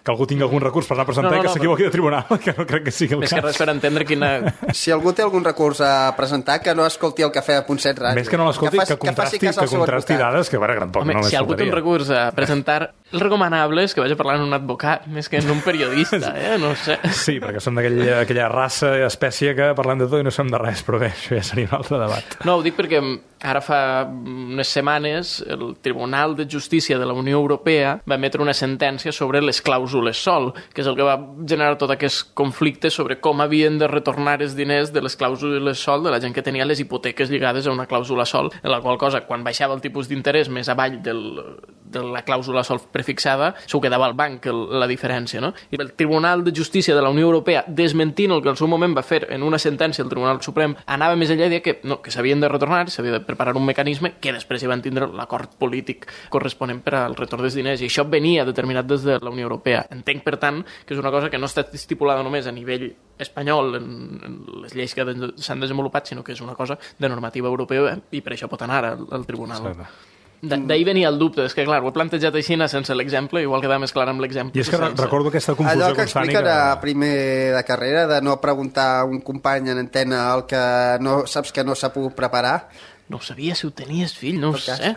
que algú tingui algun recurs per anar a presentar no, no, i que no, s'equivoqui de tribunal, que no crec que sigui el més cas. Més que res per entendre quina... Si algú té algun recurs a presentar, que no escolti el Cafè de Punt set Ràdio. Més que no l'escolti, que, que contrasti, que, que contrasti dades, que bueno, tampoc Home, no si algú té un recurs a presentar, el recomanable és que vagi a parlar amb un advocat més que en un periodista, eh? No sé. Sí, perquè som d'aquella aquella raça, espècie que parlem de tot i no som de res, però bé, això ja seria un altre debat. No, ho dic perquè ara fa unes setmanes el Tribunal de Justícia de la Unió Europea va emetre una sentència sobre les clàusules sol, que és el que va generar tot aquest conflicte sobre com havien de retornar els diners de les clàusules sol de la gent que tenia les hipoteques lligades a una clàusula sol, en la qual cosa, quan baixava el tipus d'interès més avall del, de la clàusula sol prefixada, s'ho quedava al banc el, la diferència, no? I el Tribunal de Justícia de la Unió Europea, desmentint el que al seu moment va fer en una sentència el Tribunal Suprem, anava més enllà i deia que, no, que s'havien de retornar, s'havia de preparar un mecanisme que després hi van tindre l'acord polític corresponent per al retorn dels diners, i això venia determinat des de la Unió Europea. Entenc, per tant, que és una cosa que no està estipulada només a nivell espanyol en, en les lleis que s'han desenvolupat, sinó que és una cosa de normativa europea i per això pot anar al, al tribunal. D'ahir venia el dubte, és que clar, ho he plantejat així sense l'exemple, igual queda més clar amb l'exemple. I és que sense. Recordo aquesta confusió allò que constant. Allò que expliquen a primer de carrera, de no preguntar a un company en antena el que no saps que no s'ha pogut preparar. No ho sabia, si ho tenies, fill, no ho sé.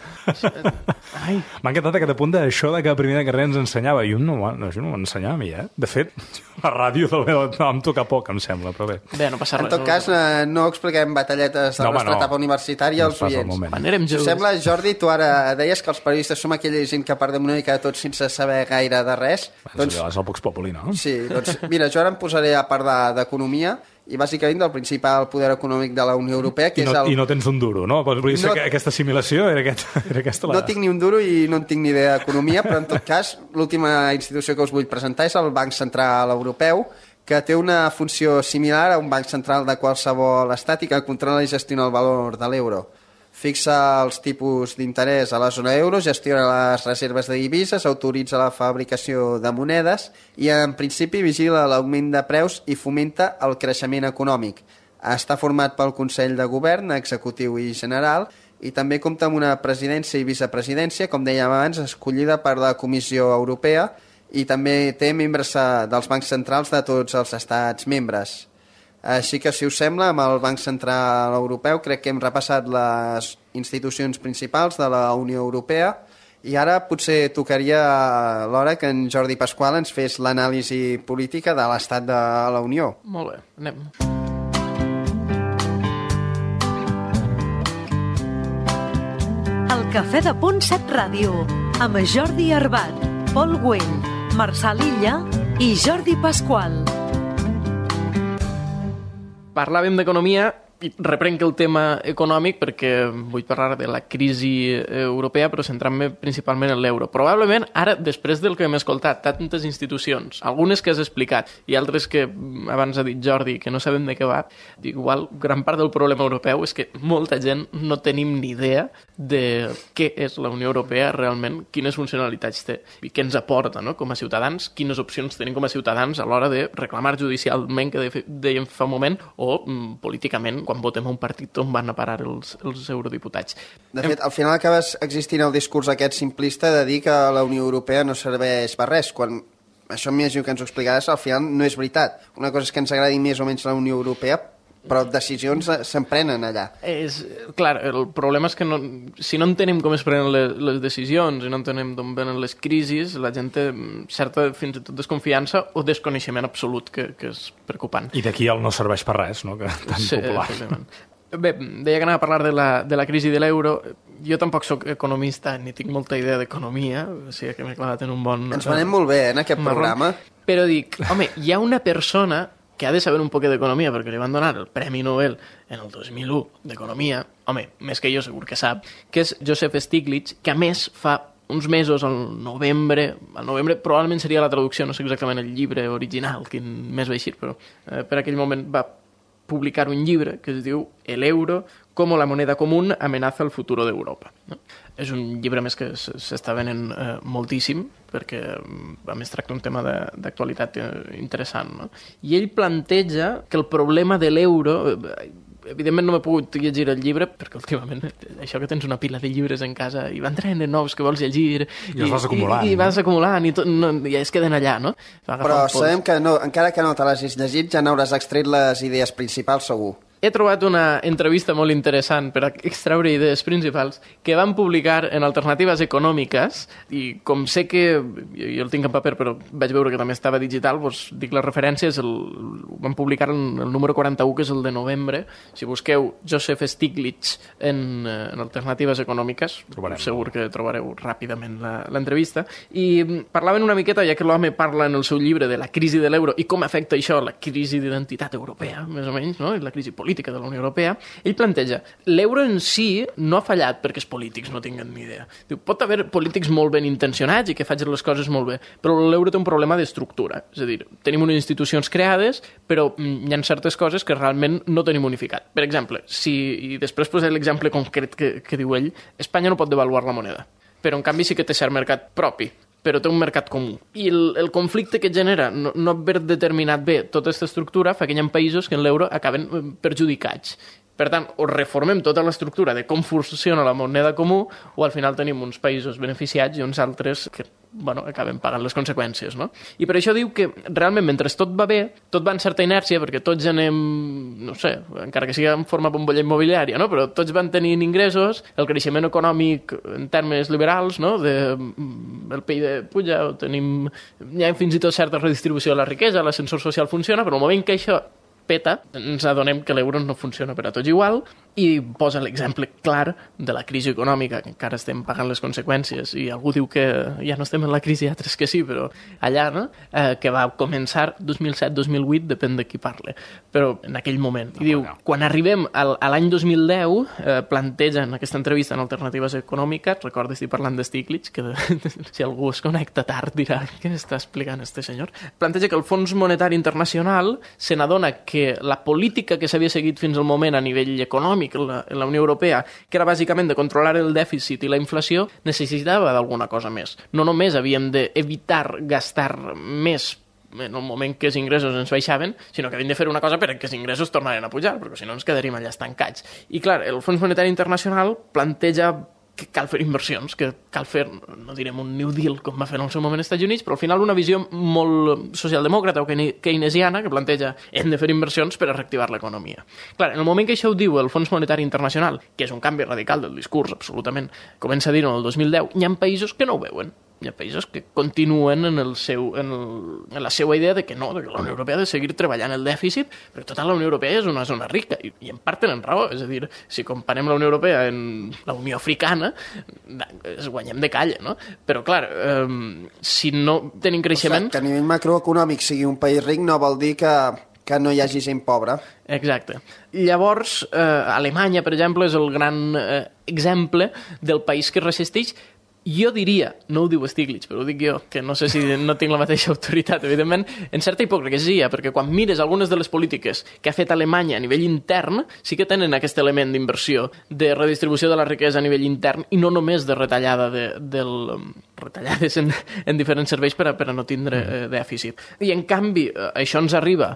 Ai. M'ha encantat aquest apunt d'això de que a primer de carrera ens ensenyava. Jo no, no, això no m'ensenyava a mi, eh? De fet, la ràdio del meu no, em toca poc, em sembla, però bé. Bé, no passa res. En tot cas, no, no expliquem batalletes de no, la nostra no. etapa universitària als oients. Si us sembla, Jordi, tu ara deies que els periodistes som aquella gent que perdem una mica de tot sense saber gaire de res. Bé, doncs, és el Vox Populi, no? Sí, doncs mira, jo ara em posaré a parlar d'economia i bàsicament del principal poder econòmic de la Unió Europea, que I no, és el... I no tens un duro, no? Vull dir no... que aquesta assimilació era, aquest, era aquesta la... No tinc ni un duro i no en tinc ni idea d'economia, però en tot cas l'última institució que us vull presentar és el Banc Central Europeu, que té una funció similar a un banc central de qualsevol estat i que controla i gestiona el valor de l'euro. Fixa els tipus d'interès a la zona euro, gestiona les reserves de divises, autoritza la fabricació de monedes i, en principi, vigila l'augment de preus i fomenta el creixement econòmic. Està format pel Consell de Govern, Executiu i General, i també compta amb una presidència i vicepresidència, com dèiem abans, escollida per la Comissió Europea, i també té membres dels bancs centrals de tots els estats membres. Així que, si us sembla, amb el Banc Central Europeu crec que hem repassat les institucions principals de la Unió Europea i ara potser tocaria l'hora que en Jordi Pasqual ens fes l'anàlisi política de l'estat de la Unió. Molt bé, anem. El Cafè de Punt set Ràdio, amb Jordi Arbat, Pol Güell, Marçal Illa i Jordi Pasqual. Parlàvem d'economia i reprenc el tema econòmic perquè vull parlar de la crisi europea, però centrant-me principalment en l'euro. Probablement, ara, després del que hem escoltat, tantes institucions, algunes que has explicat i altres que abans ha dit Jordi, que no sabem de què va, igual gran part del problema europeu és que molta gent no tenim ni idea de què és la Unió Europea realment, quines funcionalitats té i què ens aporta, no?, com a ciutadans, quines opcions tenim com a ciutadans a l'hora de reclamar judicialment, que dèiem fa un moment, o mm, políticament, quan votem un partit on van a parar els, els eurodiputats. De fet, al final acabes existint el discurs aquest simplista de dir que la Unió Europea no serveix per res, quan això m'imagino que ens ho explicaràs, al final no és veritat. Una cosa és que ens agradi més o menys la Unió Europea, però decisions s'emprenen allà. És, clar, el problema és que no, si no entenem com es prenen les, les decisions i no entenem d'on venen les crisis, la gent té certa fins i tot desconfiança o desconeixement absolut, que, que és preocupant. I d'aquí el no serveix per res, no?, que tan sí, popular. Exactament. Bé, deia que anava a parlar de la, de la crisi de l'euro. Jo tampoc sóc economista ni tinc molta idea d'economia, o sigui que m'he clavat en un bon... Ens venem molt bé, eh, en aquest marró. programa. Però dic, home, hi ha una persona que ha de saber un poc d'economia, perquè li van donar el Premi Nobel en el dos mil u d'economia, home, més que jo segur que sap, que és Joseph Stiglitz, que a més fa uns mesos, al novembre, al novembre probablement seria la traducció, no sé exactament el llibre original, quin mes va eixir, però eh, per aquell moment va publicar un llibre que es diu El euro como la moneda común amenaza el futuro d'Europa. No? És un llibre més que s'està venent eh, moltíssim, perquè a més tracta un tema d'actualitat interessant. No? I ell planteja que el problema de l'euro... Evidentment no m'he pogut llegir el llibre, perquè últimament això que tens una pila de llibres en casa i van traient nous que vols llegir i els vas acumulant. I, i, i vas acumulant i, tot, no, i es queden allà, no? Però sabem que no, encara que no te l'hagis llegit ja n'hauràs extret les idees principals segur. He trobat una entrevista molt interessant per a extraure idees principals que van publicar en Alternatives Econòmiques i com sé que, jo, jo el tinc en paper però vaig veure que també estava digital, doncs dic les referències, el, van publicar el, el número quaranta-u que és el de novembre. Si busqueu Joseph Stiglitz en, en Alternatives Econòmiques trobarem. Segur que trobareu ràpidament l'entrevista i parlaven una miqueta, ja que l'home parla en el seu llibre de la crisi de l'euro i com afecta això la crisi d'identitat europea, més o menys, no? I la crisi política política de la Unió Europea, ell planteja l'euro en si no ha fallat perquè els polítics no tinguen ni idea. Diu, pot haver polítics molt ben intencionats i que facin les coses molt bé, però l'euro té un problema d'estructura. És a dir, tenim unes institucions creades, però hi ha certes coses que realment no tenim unificat. Per exemple, si, i després posaré l'exemple concret que, que diu ell, Espanya no pot devaluar la moneda, però en canvi sí que té cert mercat propi, però té un mercat comú. I el, el conflicte que genera no, no haver determinat bé tota aquesta estructura fa que hi ha països que en l'euro acaben perjudicats. Per tant, o reformem tota l'estructura de com funciona la moneda comú o al final tenim uns països beneficiats i uns altres que bueno, acaben pagant les conseqüències. No? I per això diu que realment mentre tot va bé, tot va en certa inèrcia perquè tots anem, no sé, encara que sigui en forma bombolla immobiliària, no? Però tots van tenint ingressos, el creixement econòmic en termes liberals, no? de, el P I B puja, tenim, hi ha fins i tot certa redistribució de la riquesa, l'ascensor social funciona, però al moment que això peta, ens adonem que l'euro no funciona per a tots igual i posa l'exemple clar de la crisi econòmica, que encara estem pagant les conseqüències i algú diu que ja no estem en la crisi, altres que sí, però allà, no? Eh, que va començar dos mil set dos mil vuit, depèn de qui parle, però en aquell moment. I diu, quan arribem al, a l'any dos mil deu, eh, planteja en aquesta entrevista en Alternatives Econòmiques, recorda, estic parlant de Stiglitz, que si algú es connecta tard dirà què està explicant este senyor, planteja que el Fons Monetari Internacional se n'adona que la política que s'havia seguit fins al moment a nivell econòmic en la, en la Unió Europea, que era bàsicament de controlar el dèficit i la inflació, necessitava d'alguna cosa més. No només havíem d'evitar gastar més en el moment que els ingressos ens baixaven, sinó que havíem de fer una cosa per que els ingressos tornaren a pujar, perquè si no ens quedaríem allà estancats. I clar, el Fons Monetari Internacional planteja que cal fer inversions, que cal fer, no direm un New Deal com va fer en el seu moment als Estats Units, però al final una visió molt socialdemòcrata o keynesiana que planteja hem de fer inversions per a reactivar l'economia. Clar, en el moment que això ho diu el Fons Monetari Internacional, que és un canvi radical del discurs, absolutament, comença a dir-ho en el dos mil deu, hi ha països que no ho veuen. Hi ha països que continuen en, el seu, en, el, en la seva idea de que no, de que la Unió Europea ha de seguir treballant el dèficit, perquè tota la Unió Europea és una zona rica, i, i en part tenen raó, és a dir, si comparem la Unió Europea en la Unió Africana, es guanyem de calle, no? Però, clar, eh, si no tenim creixement... O sigui, que a nivell macroeconòmic sigui un país ric no vol dir que, que no hi hagi gent pobra. Exacte. Llavors, eh, Alemanya, per exemple, és el gran eh, exemple del país que resisteix. Jo diria, no ho diu Stiglitz, però ho dic jo, que no sé si no tinc la mateixa autoritat, evidentment, en certa hipocresia, perquè quan mires algunes de les polítiques que ha fet Alemanya a nivell intern, sí que tenen aquest element d'inversió, de redistribució de la riquesa a nivell intern, i no només de retallada de, del, retallades en, en diferents serveis per a, per a no tindre eh, dèficit. I en canvi, eh, això ens arriba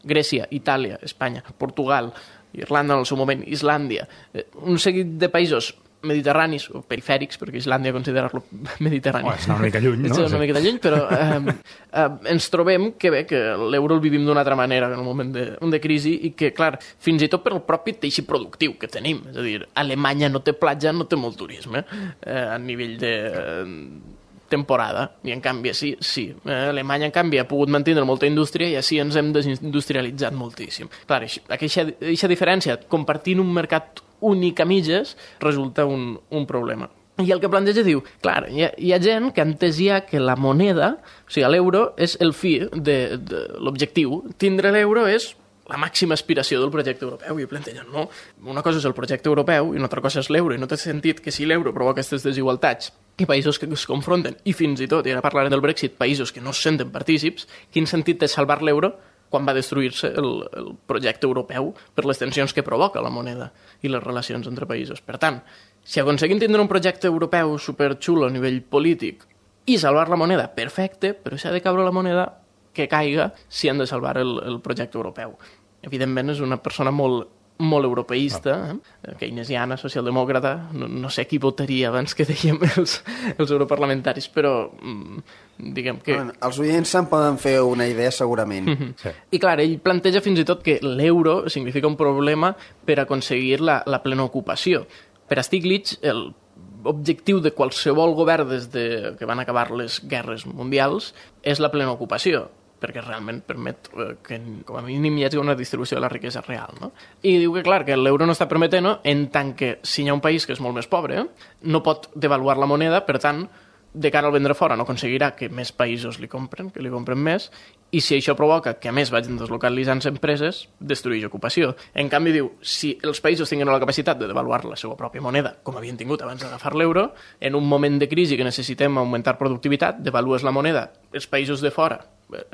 Grècia, Itàlia, Espanya, Portugal, Irlanda en el seu moment, Islàndia, eh, un seguit de països mediterranis o perifèrics, perquè Islàndia considerar-lo mediterrani. Oh, és una mica lluny, no? És una mica lluny, però eh, eh, ens trobem que bé, que l'euro el vivim d'una altra manera en el moment de, de crisi i que, clar, fins i tot per el propi teixit productiu que tenim. És a dir, Alemanya no té platja, no té molt turisme eh, a nivell de... Eh, temporada, i en canvi sí, sí. Alemanya en canvi ha pogut mantenir molta indústria i així ens hem desindustrialitzat moltíssim. Clar, aquesta, aquesta diferència, compartint un mercat únic a mitges, resulta un, un problema. I el que planteja diu, clar, hi ha, hi ha gent que ha entès ja que la moneda, o sigui, l'euro és el fi de, de l'objectiu. Tindre l'euro és la màxima aspiració del projecte europeu, i plantegen, no? Una cosa és el projecte europeu i una altra cosa és l'euro, i no té sentit que si l'euro provoca aquestes desigualtats i països que es confronten, i fins i tot, i ara parlarem del Brexit, països que no es senten partícips, quin sentit té salvar l'euro quan va destruir-se el, el projecte europeu per les tensions que provoca la moneda i les relacions entre països. Per tant, si aconseguim tindre un projecte europeu superxulo a nivell polític i salvar la moneda, perfecte, però si ha de caure la moneda, que caiga si han de salvar el, el projecte europeu. Evidentment és una persona molt, molt europeista, eh? keynesiana, socialdemòcrata, no, no sé qui votaria abans que dèiem els, els europarlamentaris, però mm, diguem que... Bueno, els oients se'n poden fer una idea segurament. Mm-hmm. Sí. I clar, ell planteja fins i tot que l'euro significa un problema per aconseguir la, la plena ocupació. Per a Stiglitz, l'objectiu de qualsevol govern des de que van acabar les guerres mundials és la plena ocupació, perquè realment permet que com a mínim hi hagi una distribució de la riquesa real, no? I diu que, clar, que l'euro no està permetent-ho en tant que si hi ha un país que és molt més pobre, no pot devaluar la moneda, per tant, de cara al vendre fora no aconseguirà que més països li compren, que li compren més, i si això provoca que a més vagin deslocalitzant empreses, destrueix ocupació. En canvi, diu, si els països tinguin la capacitat de devaluar la seva pròpia moneda, com havien tingut abans d'agafar l'euro, en un moment de crisi que necessitem augmentar productivitat, devalues la moneda, els països de fora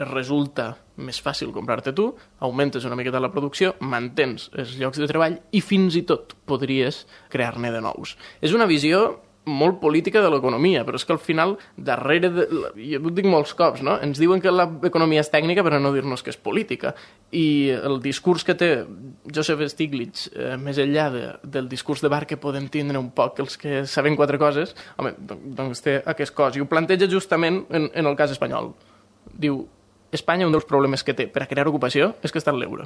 resulta més fàcil comprar-te tu, augmentes una miqueta la producció, mantens els llocs de treball i fins i tot podries crear-ne de nous. És una visió molt política de l'economia, però és que al final, darrere de... jo ho dic molts cops, no? Ens diuen que l'economia és tècnica per no dir-nos que és política. I el discurs que té Joseph Stiglitz, eh, més enllà de, del discurs de bar que podem tindre un poc els que sabem quatre coses, home, doncs té aquest cos. I ho planteja justament en, en el cas espanyol. Diu, Espanya, un dels problemes que té per a crear ocupació és que està en l'euro.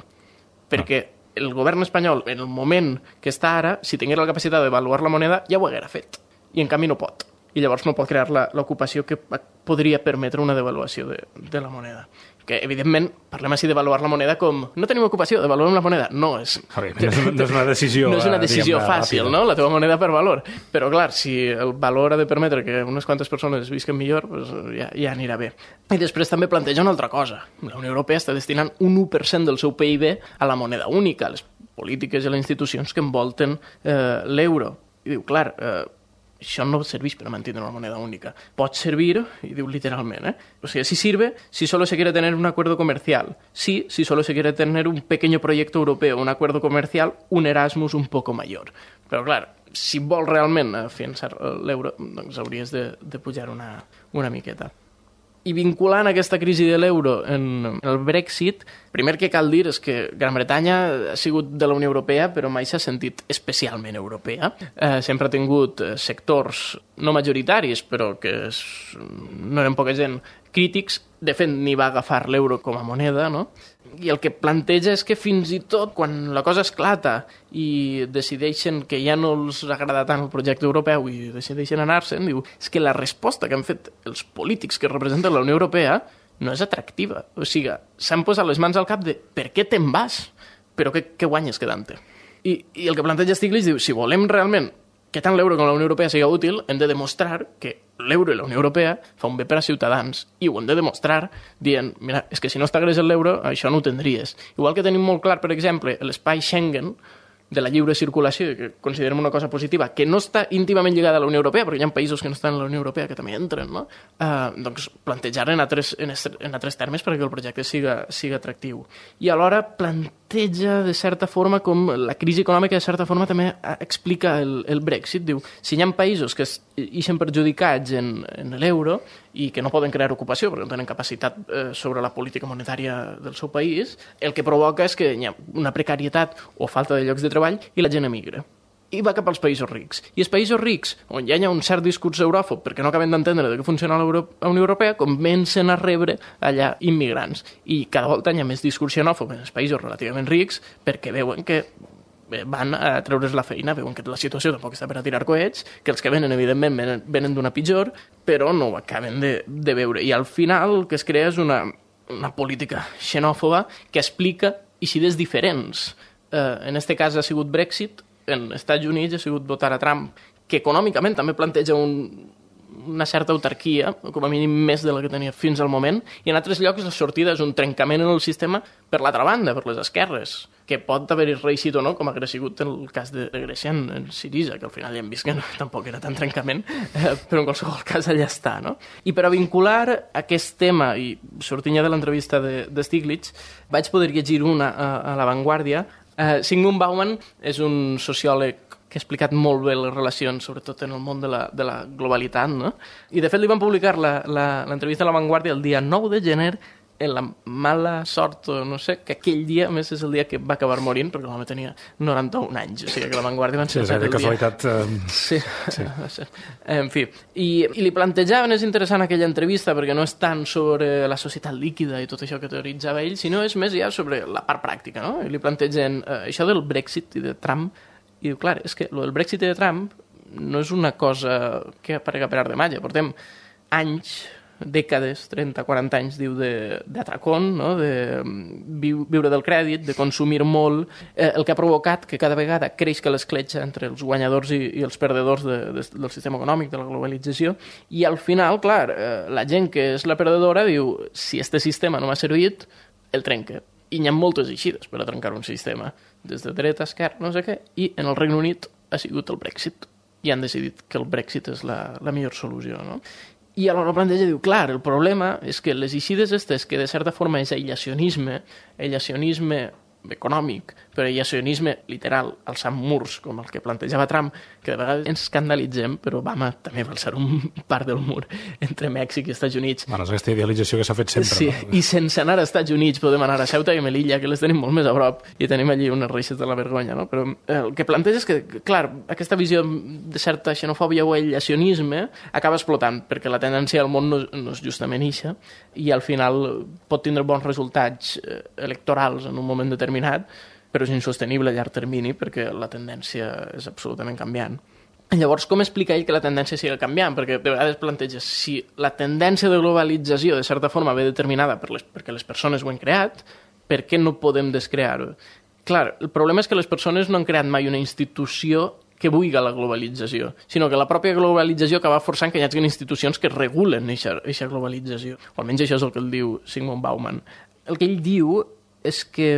Perquè el govern espanyol, en el moment que està ara, si tingués la capacitat d'avaluar la moneda, ja ho haguera fet. I en canvi no pot. I llavors no pot crear l'ocupació que podria permetre una devaluació de, de la moneda. Que, evidentment, parlem així d'avaluar la moneda com no tenim ocupació, devaluem la moneda. No, és, okay, no, és, no és una decisió, no és una decisió diguem, fàcil, ràpida. No? La teva moneda per valor. Però, clar, si el valor ha de permetre que unes quantes persones visquen millor, doncs ja, ja anirà bé. I després també planteja una altra cosa. La Unió Europea està destinant un u per cent del seu P I B a la moneda única, a les polítiques i les institucions que envolten eh, l'euro. I diu, clar, eh, això no serveix per a mantenir una moneda única. Pot servir, y diu literalment, ¿eh? O sea, sí sirve si solo se quiere tener un acuerdo comercial. Sí, si solo se quiere tener un pequeño proyecto europeo, un acuerdo comercial, un Erasmus un poco mayor. Però, clar, si vol realment afiançar l'euro, doncs hauries de, de pujar una, una miqueta. I vinculant aquesta crisi de l'euro en el Brexit, primer que cal dir és que Gran Bretanya ha sigut de la Unió Europea, però mai s'ha sentit especialment europea. Eh, sempre ha tingut sectors no majoritaris, però que és, no eren poca gent, crítics. De fet, ni va agafar l'euro com a moneda, no? I el que planteja és que fins i tot quan la cosa esclata i decideixen que ja no els agrada tant el projecte europeu i decideixen anar-se'n, diu, és que la resposta que han fet els polítics que representen la Unió Europea no és atractiva. O sigui, s'han posat les mans al cap de per què te'n vas? Però què, què guanyes quedant-te? I, I el que planteja Stiglitz diu, si volem realment que tant l'euro com la Unió Europea siga útil, hem de demostrar que l'euro i la Unió Europea fa un bé per a ciutadans, i ho hem de demostrar dient, mira, és que si no estigués l'euro, això no ho tindries. Igual que tenim molt clar, per exemple, l'espai Schengen, de la lliure circulació, que considerem una cosa positiva, que no està íntimament lligada a la Unió Europea, perquè hi ha països que no estan a la Unió Europea que també entren, no? Uh, doncs plantejar en altres, en, est, en altres termes perquè el projecte siga, siga atractiu. I alhora planteja, de certa forma, com la crisi econòmica, de certa forma, també explica el, el Brexit. Diu, si hi ha països que ixen perjudicats en, en l'euro i que no poden crear ocupació perquè no tenen capacitat eh, sobre la política monetària del seu país, el que provoca és que hi ha una precarietat o falta de llocs de treball i la gent emigra. I va cap als països rics. I els països rics, on ja hi ha un cert discurs euròfob perquè no acaben d'entendre de què funciona la Unió Europea, comencen a rebre allà immigrants. I cada volta hi ha més discurs xenòfob en els països relativament rics perquè veuen que van a treure's la feina, veuen que la situació tampoc està per a tirar coets, que els que venen, evidentment, venen, venen d'una pitjor, però no ho acaben de, de veure. I al final el que es crea és una, una política xenòfoba que explica eixides diferents. Eh, en este cas ha sigut Brexit, en Estats Units ha sigut votar a Trump, que econòmicament també planteja un, una certa autarquia, com a mínim més de la que tenia fins al moment, i en altres llocs la sortida és un trencament en el sistema per l'altra banda, per les esquerres, que pot haver-hi reeixit o no, com ha sigut en el cas de Grècia en, en Sirisa, que al final ja hem vist que no, tampoc era tan trencament, eh, però en qualsevol cas allà està, no? I per a vincular aquest tema, i sortint ja de l'entrevista de, de Stiglitz, vaig poder llegir una a, a La Vanguardia. eh, Zygmunt Bauman és un sociòleg que ha explicat molt bé les relacions, sobretot en el món de la, de la globalitat, no? I, de fet, li van publicar l'entrevista a La Vanguardia el dia nou de gener, en la mala sort, o no sé, que aquell dia, a més, és el dia que va acabar morint, perquè l'home tenia noranta-un anys, o sigui que La Vanguardia van ser sí, el dia. casualitat... Uh... Sí, sí. En fi. I, I li plantejaven, és interessant aquella entrevista, perquè no és tant sobre la societat líquida i tot això que teoritzava ell, sinó és més ja sobre la part pràctica, no? I li plantegen eh, això del Brexit i de Trump. I diu, clar, és que el del Brexit i de Trump no és una cosa que aparega per art de màgia. Portem anys, dècades, trenta, quaranta anys, diu, d'atracón, no? De viu, viure del crèdit, de consumir molt, eh, el que ha provocat que cada vegada creix l'escletxa entre els guanyadors i, i els perdedors de, de, del sistema econòmic, de la globalització, i al final, clar, eh, la gent que és la perdedora diu, si este sistema no m'ha servit, el trenca. I hi ha moltes eixides per a trencar un sistema, des de dreta, esquerra, no sé què, i en el Regne Unit ha sigut el Brexit. I han decidit que el Brexit és la, la millor solució, no? I alhora planteja, diu, clar, el problema és que les eixides estes, que de certa forma és aïllacionisme, aïllacionisme econòmic, però aïllacionisme literal, alçant murs, com el que plantejava Trump, que de vegades ens escandalitzem, però Obama també va alçar un part del mur entre Mèxic i Estats Units. Bueno, és aquesta idealització que s'ha fet sempre. Sí, no? I sense anar a Estats Units podem anar a Ceuta i Melilla, que les tenim molt més a prop, i tenim allí unes reixes de la vergonya, no? Però el que planteja és que, clar, aquesta visió de certa xenofòbia o aïllacionisme acaba explotant, perquè la tendència al món no, no és justament ixa, i al final pot tindre bons resultats electorals en un moment determinat, però és insostenible a llarg termini perquè la tendència és absolutament canviant. Llavors, com explica ell que la tendència sigui canviant? Perquè de vegades planteja, si la tendència de globalització de certa forma ve determinada per les, perquè les persones ho han creat, per què no podem descrear-ho? Clar, el problema és que les persones no han creat mai una institució que vulgui la globalització, sinó que la pròpia globalització acaba forçant que hi hagi institucions que regulen aquesta globalització. O almenys això és el que el diu Zygmunt Bauman. El que ell diu és que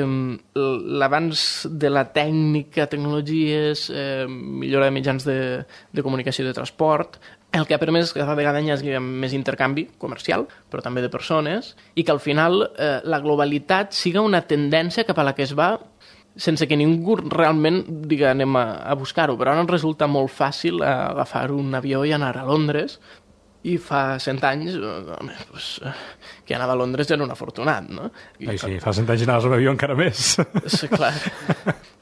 l'avanç de la tècnica, tecnologies, eh, millora de mitjans de, de comunicació i de transport, el que ha permès que cada vegada hi hagi més intercanvi comercial, però també de persones, i que al final eh, la globalitat siga una tendència cap a la que es va sense que ningú realment diga anem a, a buscar-ho, però ara ens resulta molt fàcil agafar un avió i anar a Londres. I fa cent anys, home, pues, que anava a Londres ja era un afortunat, no? I, Ai, sí, fa cent anys anaves a un avió encara més. Sí, clar,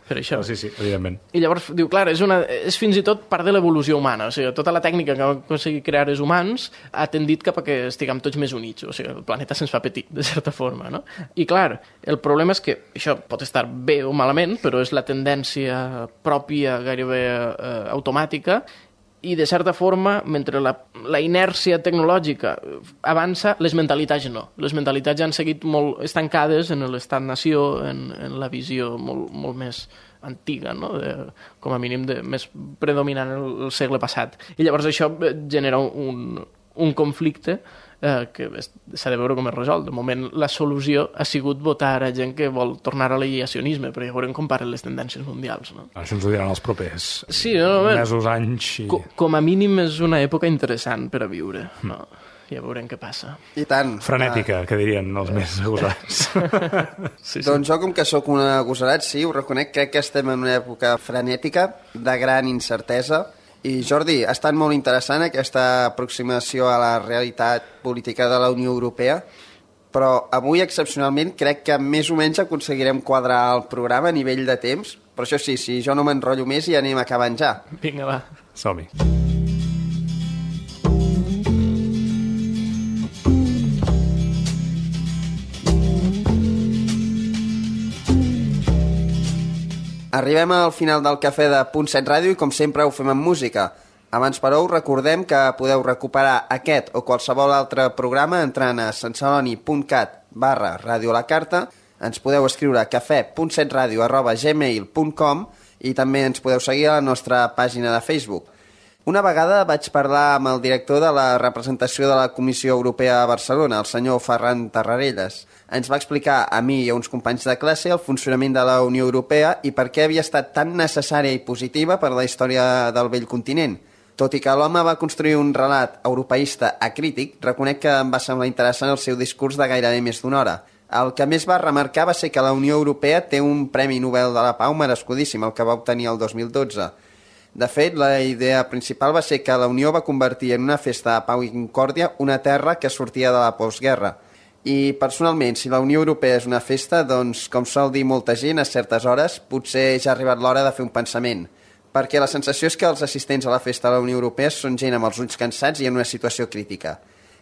per això. Sí, sí, evidentment. I llavors, diu, clar, és, una, és fins i tot part de l'evolució humana, o sigui, tota la tècnica que va aconseguir crear els humans ha tendit cap a que estiguem tots més units, o sigui, el planeta se'ns fa petit, de certa forma, no? I clar, el problema és que això pot estar bé o malament, però és la tendència pròpia, gairebé eh, automàtica, i de certa forma, mentre la, la inèrcia tecnològica avança, les mentalitats no. Les mentalitats ja han seguit molt estancades en l'estat-nació, en, en la visió molt, molt més antiga, no? De, com a mínim de, més predominant el, el segle passat. I llavors això genera un, un conflicte eh, que s'ha de veure com es resol. De moment, la solució ha sigut votar a gent que vol tornar a l'aïllacionisme, però ja veurem com paren les tendències mundials. No? Això ens ho diran els propers sí, no, no, mesos, anys... I... Com, com a mínim és una època interessant per a viure. No? Ja veurem què passa. I tant. Frenètica, ah. que dirien els més agosarats. sí, sí. Doncs jo, com que sóc un agosarat, sí, ho reconec, crec que estem en una època frenètica, de gran incertesa. I Jordi, ha estat molt interessant aquesta aproximació a la realitat política de la Unió Europea, però avui, excepcionalment, crec que més o menys aconseguirem quadrar el programa a nivell de temps. Però això sí, si jo no m'enrotllo més, ja anem acabant ja. Vinga, va. Som-hi. Arribem al final del cafè de Punt set Ràdio i com sempre ho fem amb música. Abans, però, us recordem que podeu recuperar aquest o qualsevol altre programa entrant a santceloni.cat barra Radio La Carta. Ens podeu escriure a cafè punt set radio arroba gmail punt com i també ens podeu seguir a la nostra pàgina de Facebook. Una vegada vaig parlar amb el director de la representació de la Comissió Europea a Barcelona, el senyor Ferran Tarrarelles. Ens va explicar a mi i a uns companys de classe el funcionament de la Unió Europea i per què havia estat tan necessària i positiva per la història del vell continent. Tot i que l'home va construir un relat europeista acrític, reconec que em va semblar interessant el seu discurs de gairebé més d'una hora. El que més va remarcar va ser que la Unió Europea té un Premi Nobel de la Pau merescudíssim, el que va obtenir el dos mil dotze. De fet, la idea principal va ser que la Unió va convertir en una festa de pau i concòrdia una terra que sortia de la postguerra. I, personalment, si la Unió Europea és una festa, doncs, com sol dir molta gent a certes hores, potser ja ha arribat l'hora de fer un pensament. Perquè la sensació és que els assistents a la festa de la Unió Europea són gent amb els ulls cansats i en una situació crítica.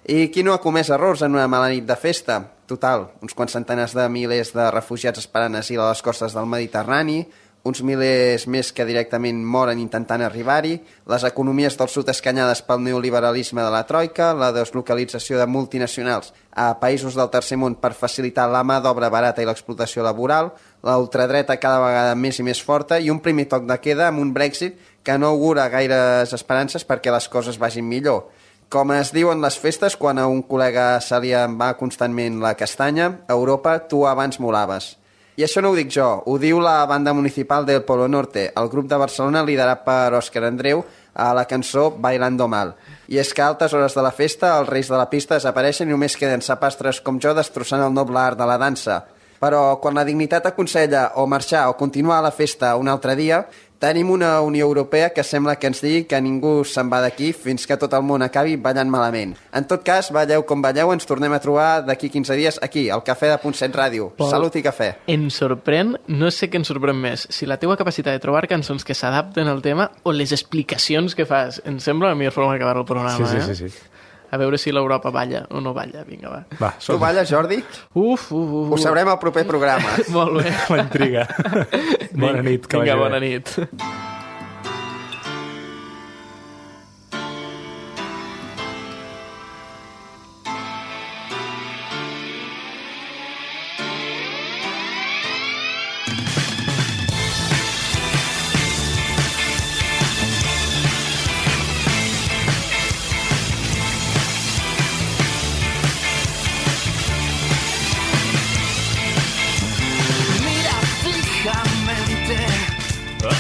I qui no ha comès errors en una mala nit de festa? Total, uns quants centenars de milers de refugiats esperant asil a les costes del Mediterrani, uns milers més que directament moren intentant arribar-hi, les economies del sud escanyades pel neoliberalisme de la troika, la deslocalització de multinacionals a països del tercer món per facilitar la mà d'obra barata i l'explotació laboral, la ultradreta cada vegada més i més forta i un primer toc de queda amb un Brexit que no augura gaires esperances perquè les coses vagin millor. Com es diuen les festes, quan a un col·lega se li en va constantment la castanya, a Europa tu abans molaves. I això no ho dic jo, ho diu la banda municipal del Polo Norte, el grup de Barcelona liderat per Òscar Andreu a la cançó Bailando Mal. I és que a altes hores de la festa els reis de la pista desapareixen i només queden sapastres com jo destrossant el noble art de la dansa. Però quan la dignitat aconsella o marxar o continuar a la festa un altre dia, tenim una Unió Europea que sembla que ens digui que ningú se'n va d'aquí fins que tot el món acabi ballant malament. En tot cas, balleu com balleu, ens tornem a trobar d'aquí quinze dies aquí, al Cafè de Punt set Ràdio. Pol, Salut i cafè. Em sorprèn, no sé què em sorprèn més, si la teua capacitat de trobar cançons que s'adapten al tema o les explicacions que fas. Em sembla la millor forma d'acabar el programa, sí, sí, eh? sí, sí. A veure si l'Europa balla o no balla. Vinga, va. va tu balles, Jordi? Uf, uf, uf. Ho sabrem al proper programa. Molt bé. La intriga. Bona nit. Que Vinga, bona nit.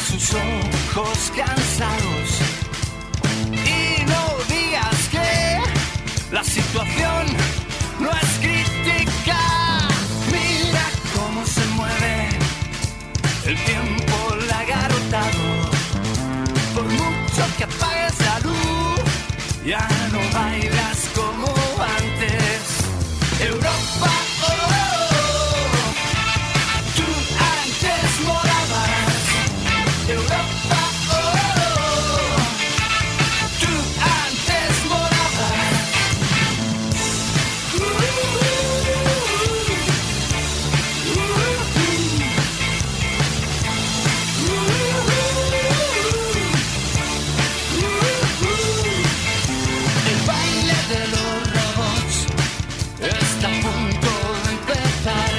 Sus ojos cansados y no digas que la situación no es crítica. Mira cómo se mueve el tiempo lagartado. Por mucho que apagues la luz, ya no bailas como antes. Europa, oh, oh, oh. Tú antes morabas. Europa, oh, oh, tú antes morabas. Uh, uh, uh, uh, El baile de los robots está a punto de empezar.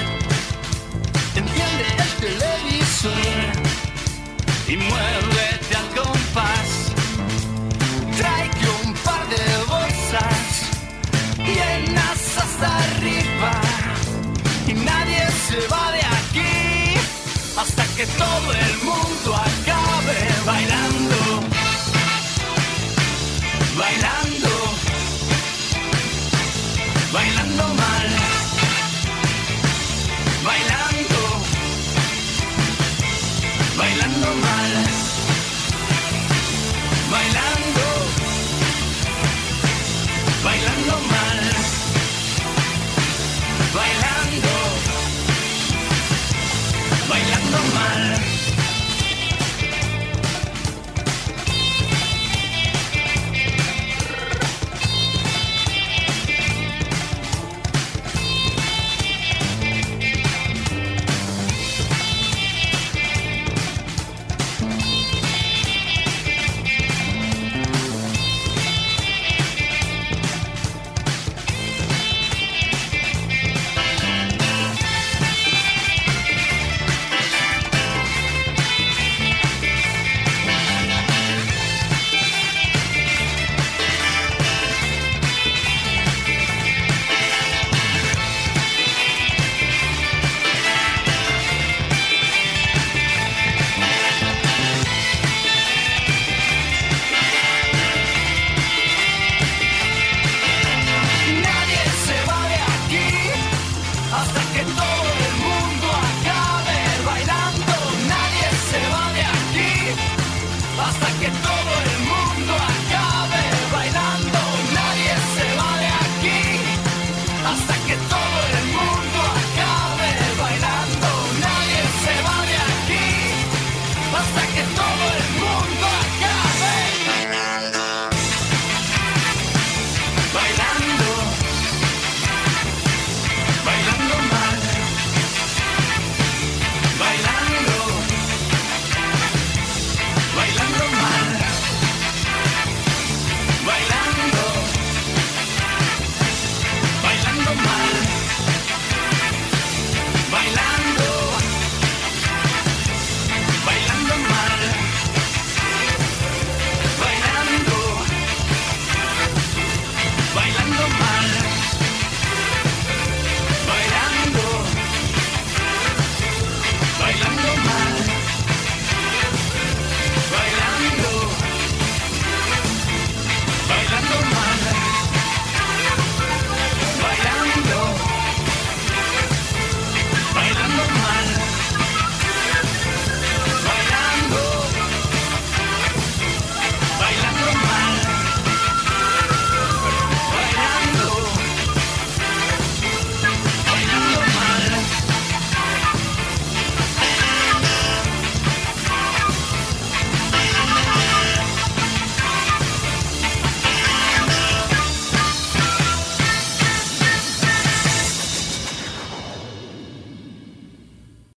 Enciende el televisor y muévete al compás. Tráete un par de bolsas llenas hasta arriba y nadie se va de aquí hasta que todo el mundo acabe bailando, bailando, bailando.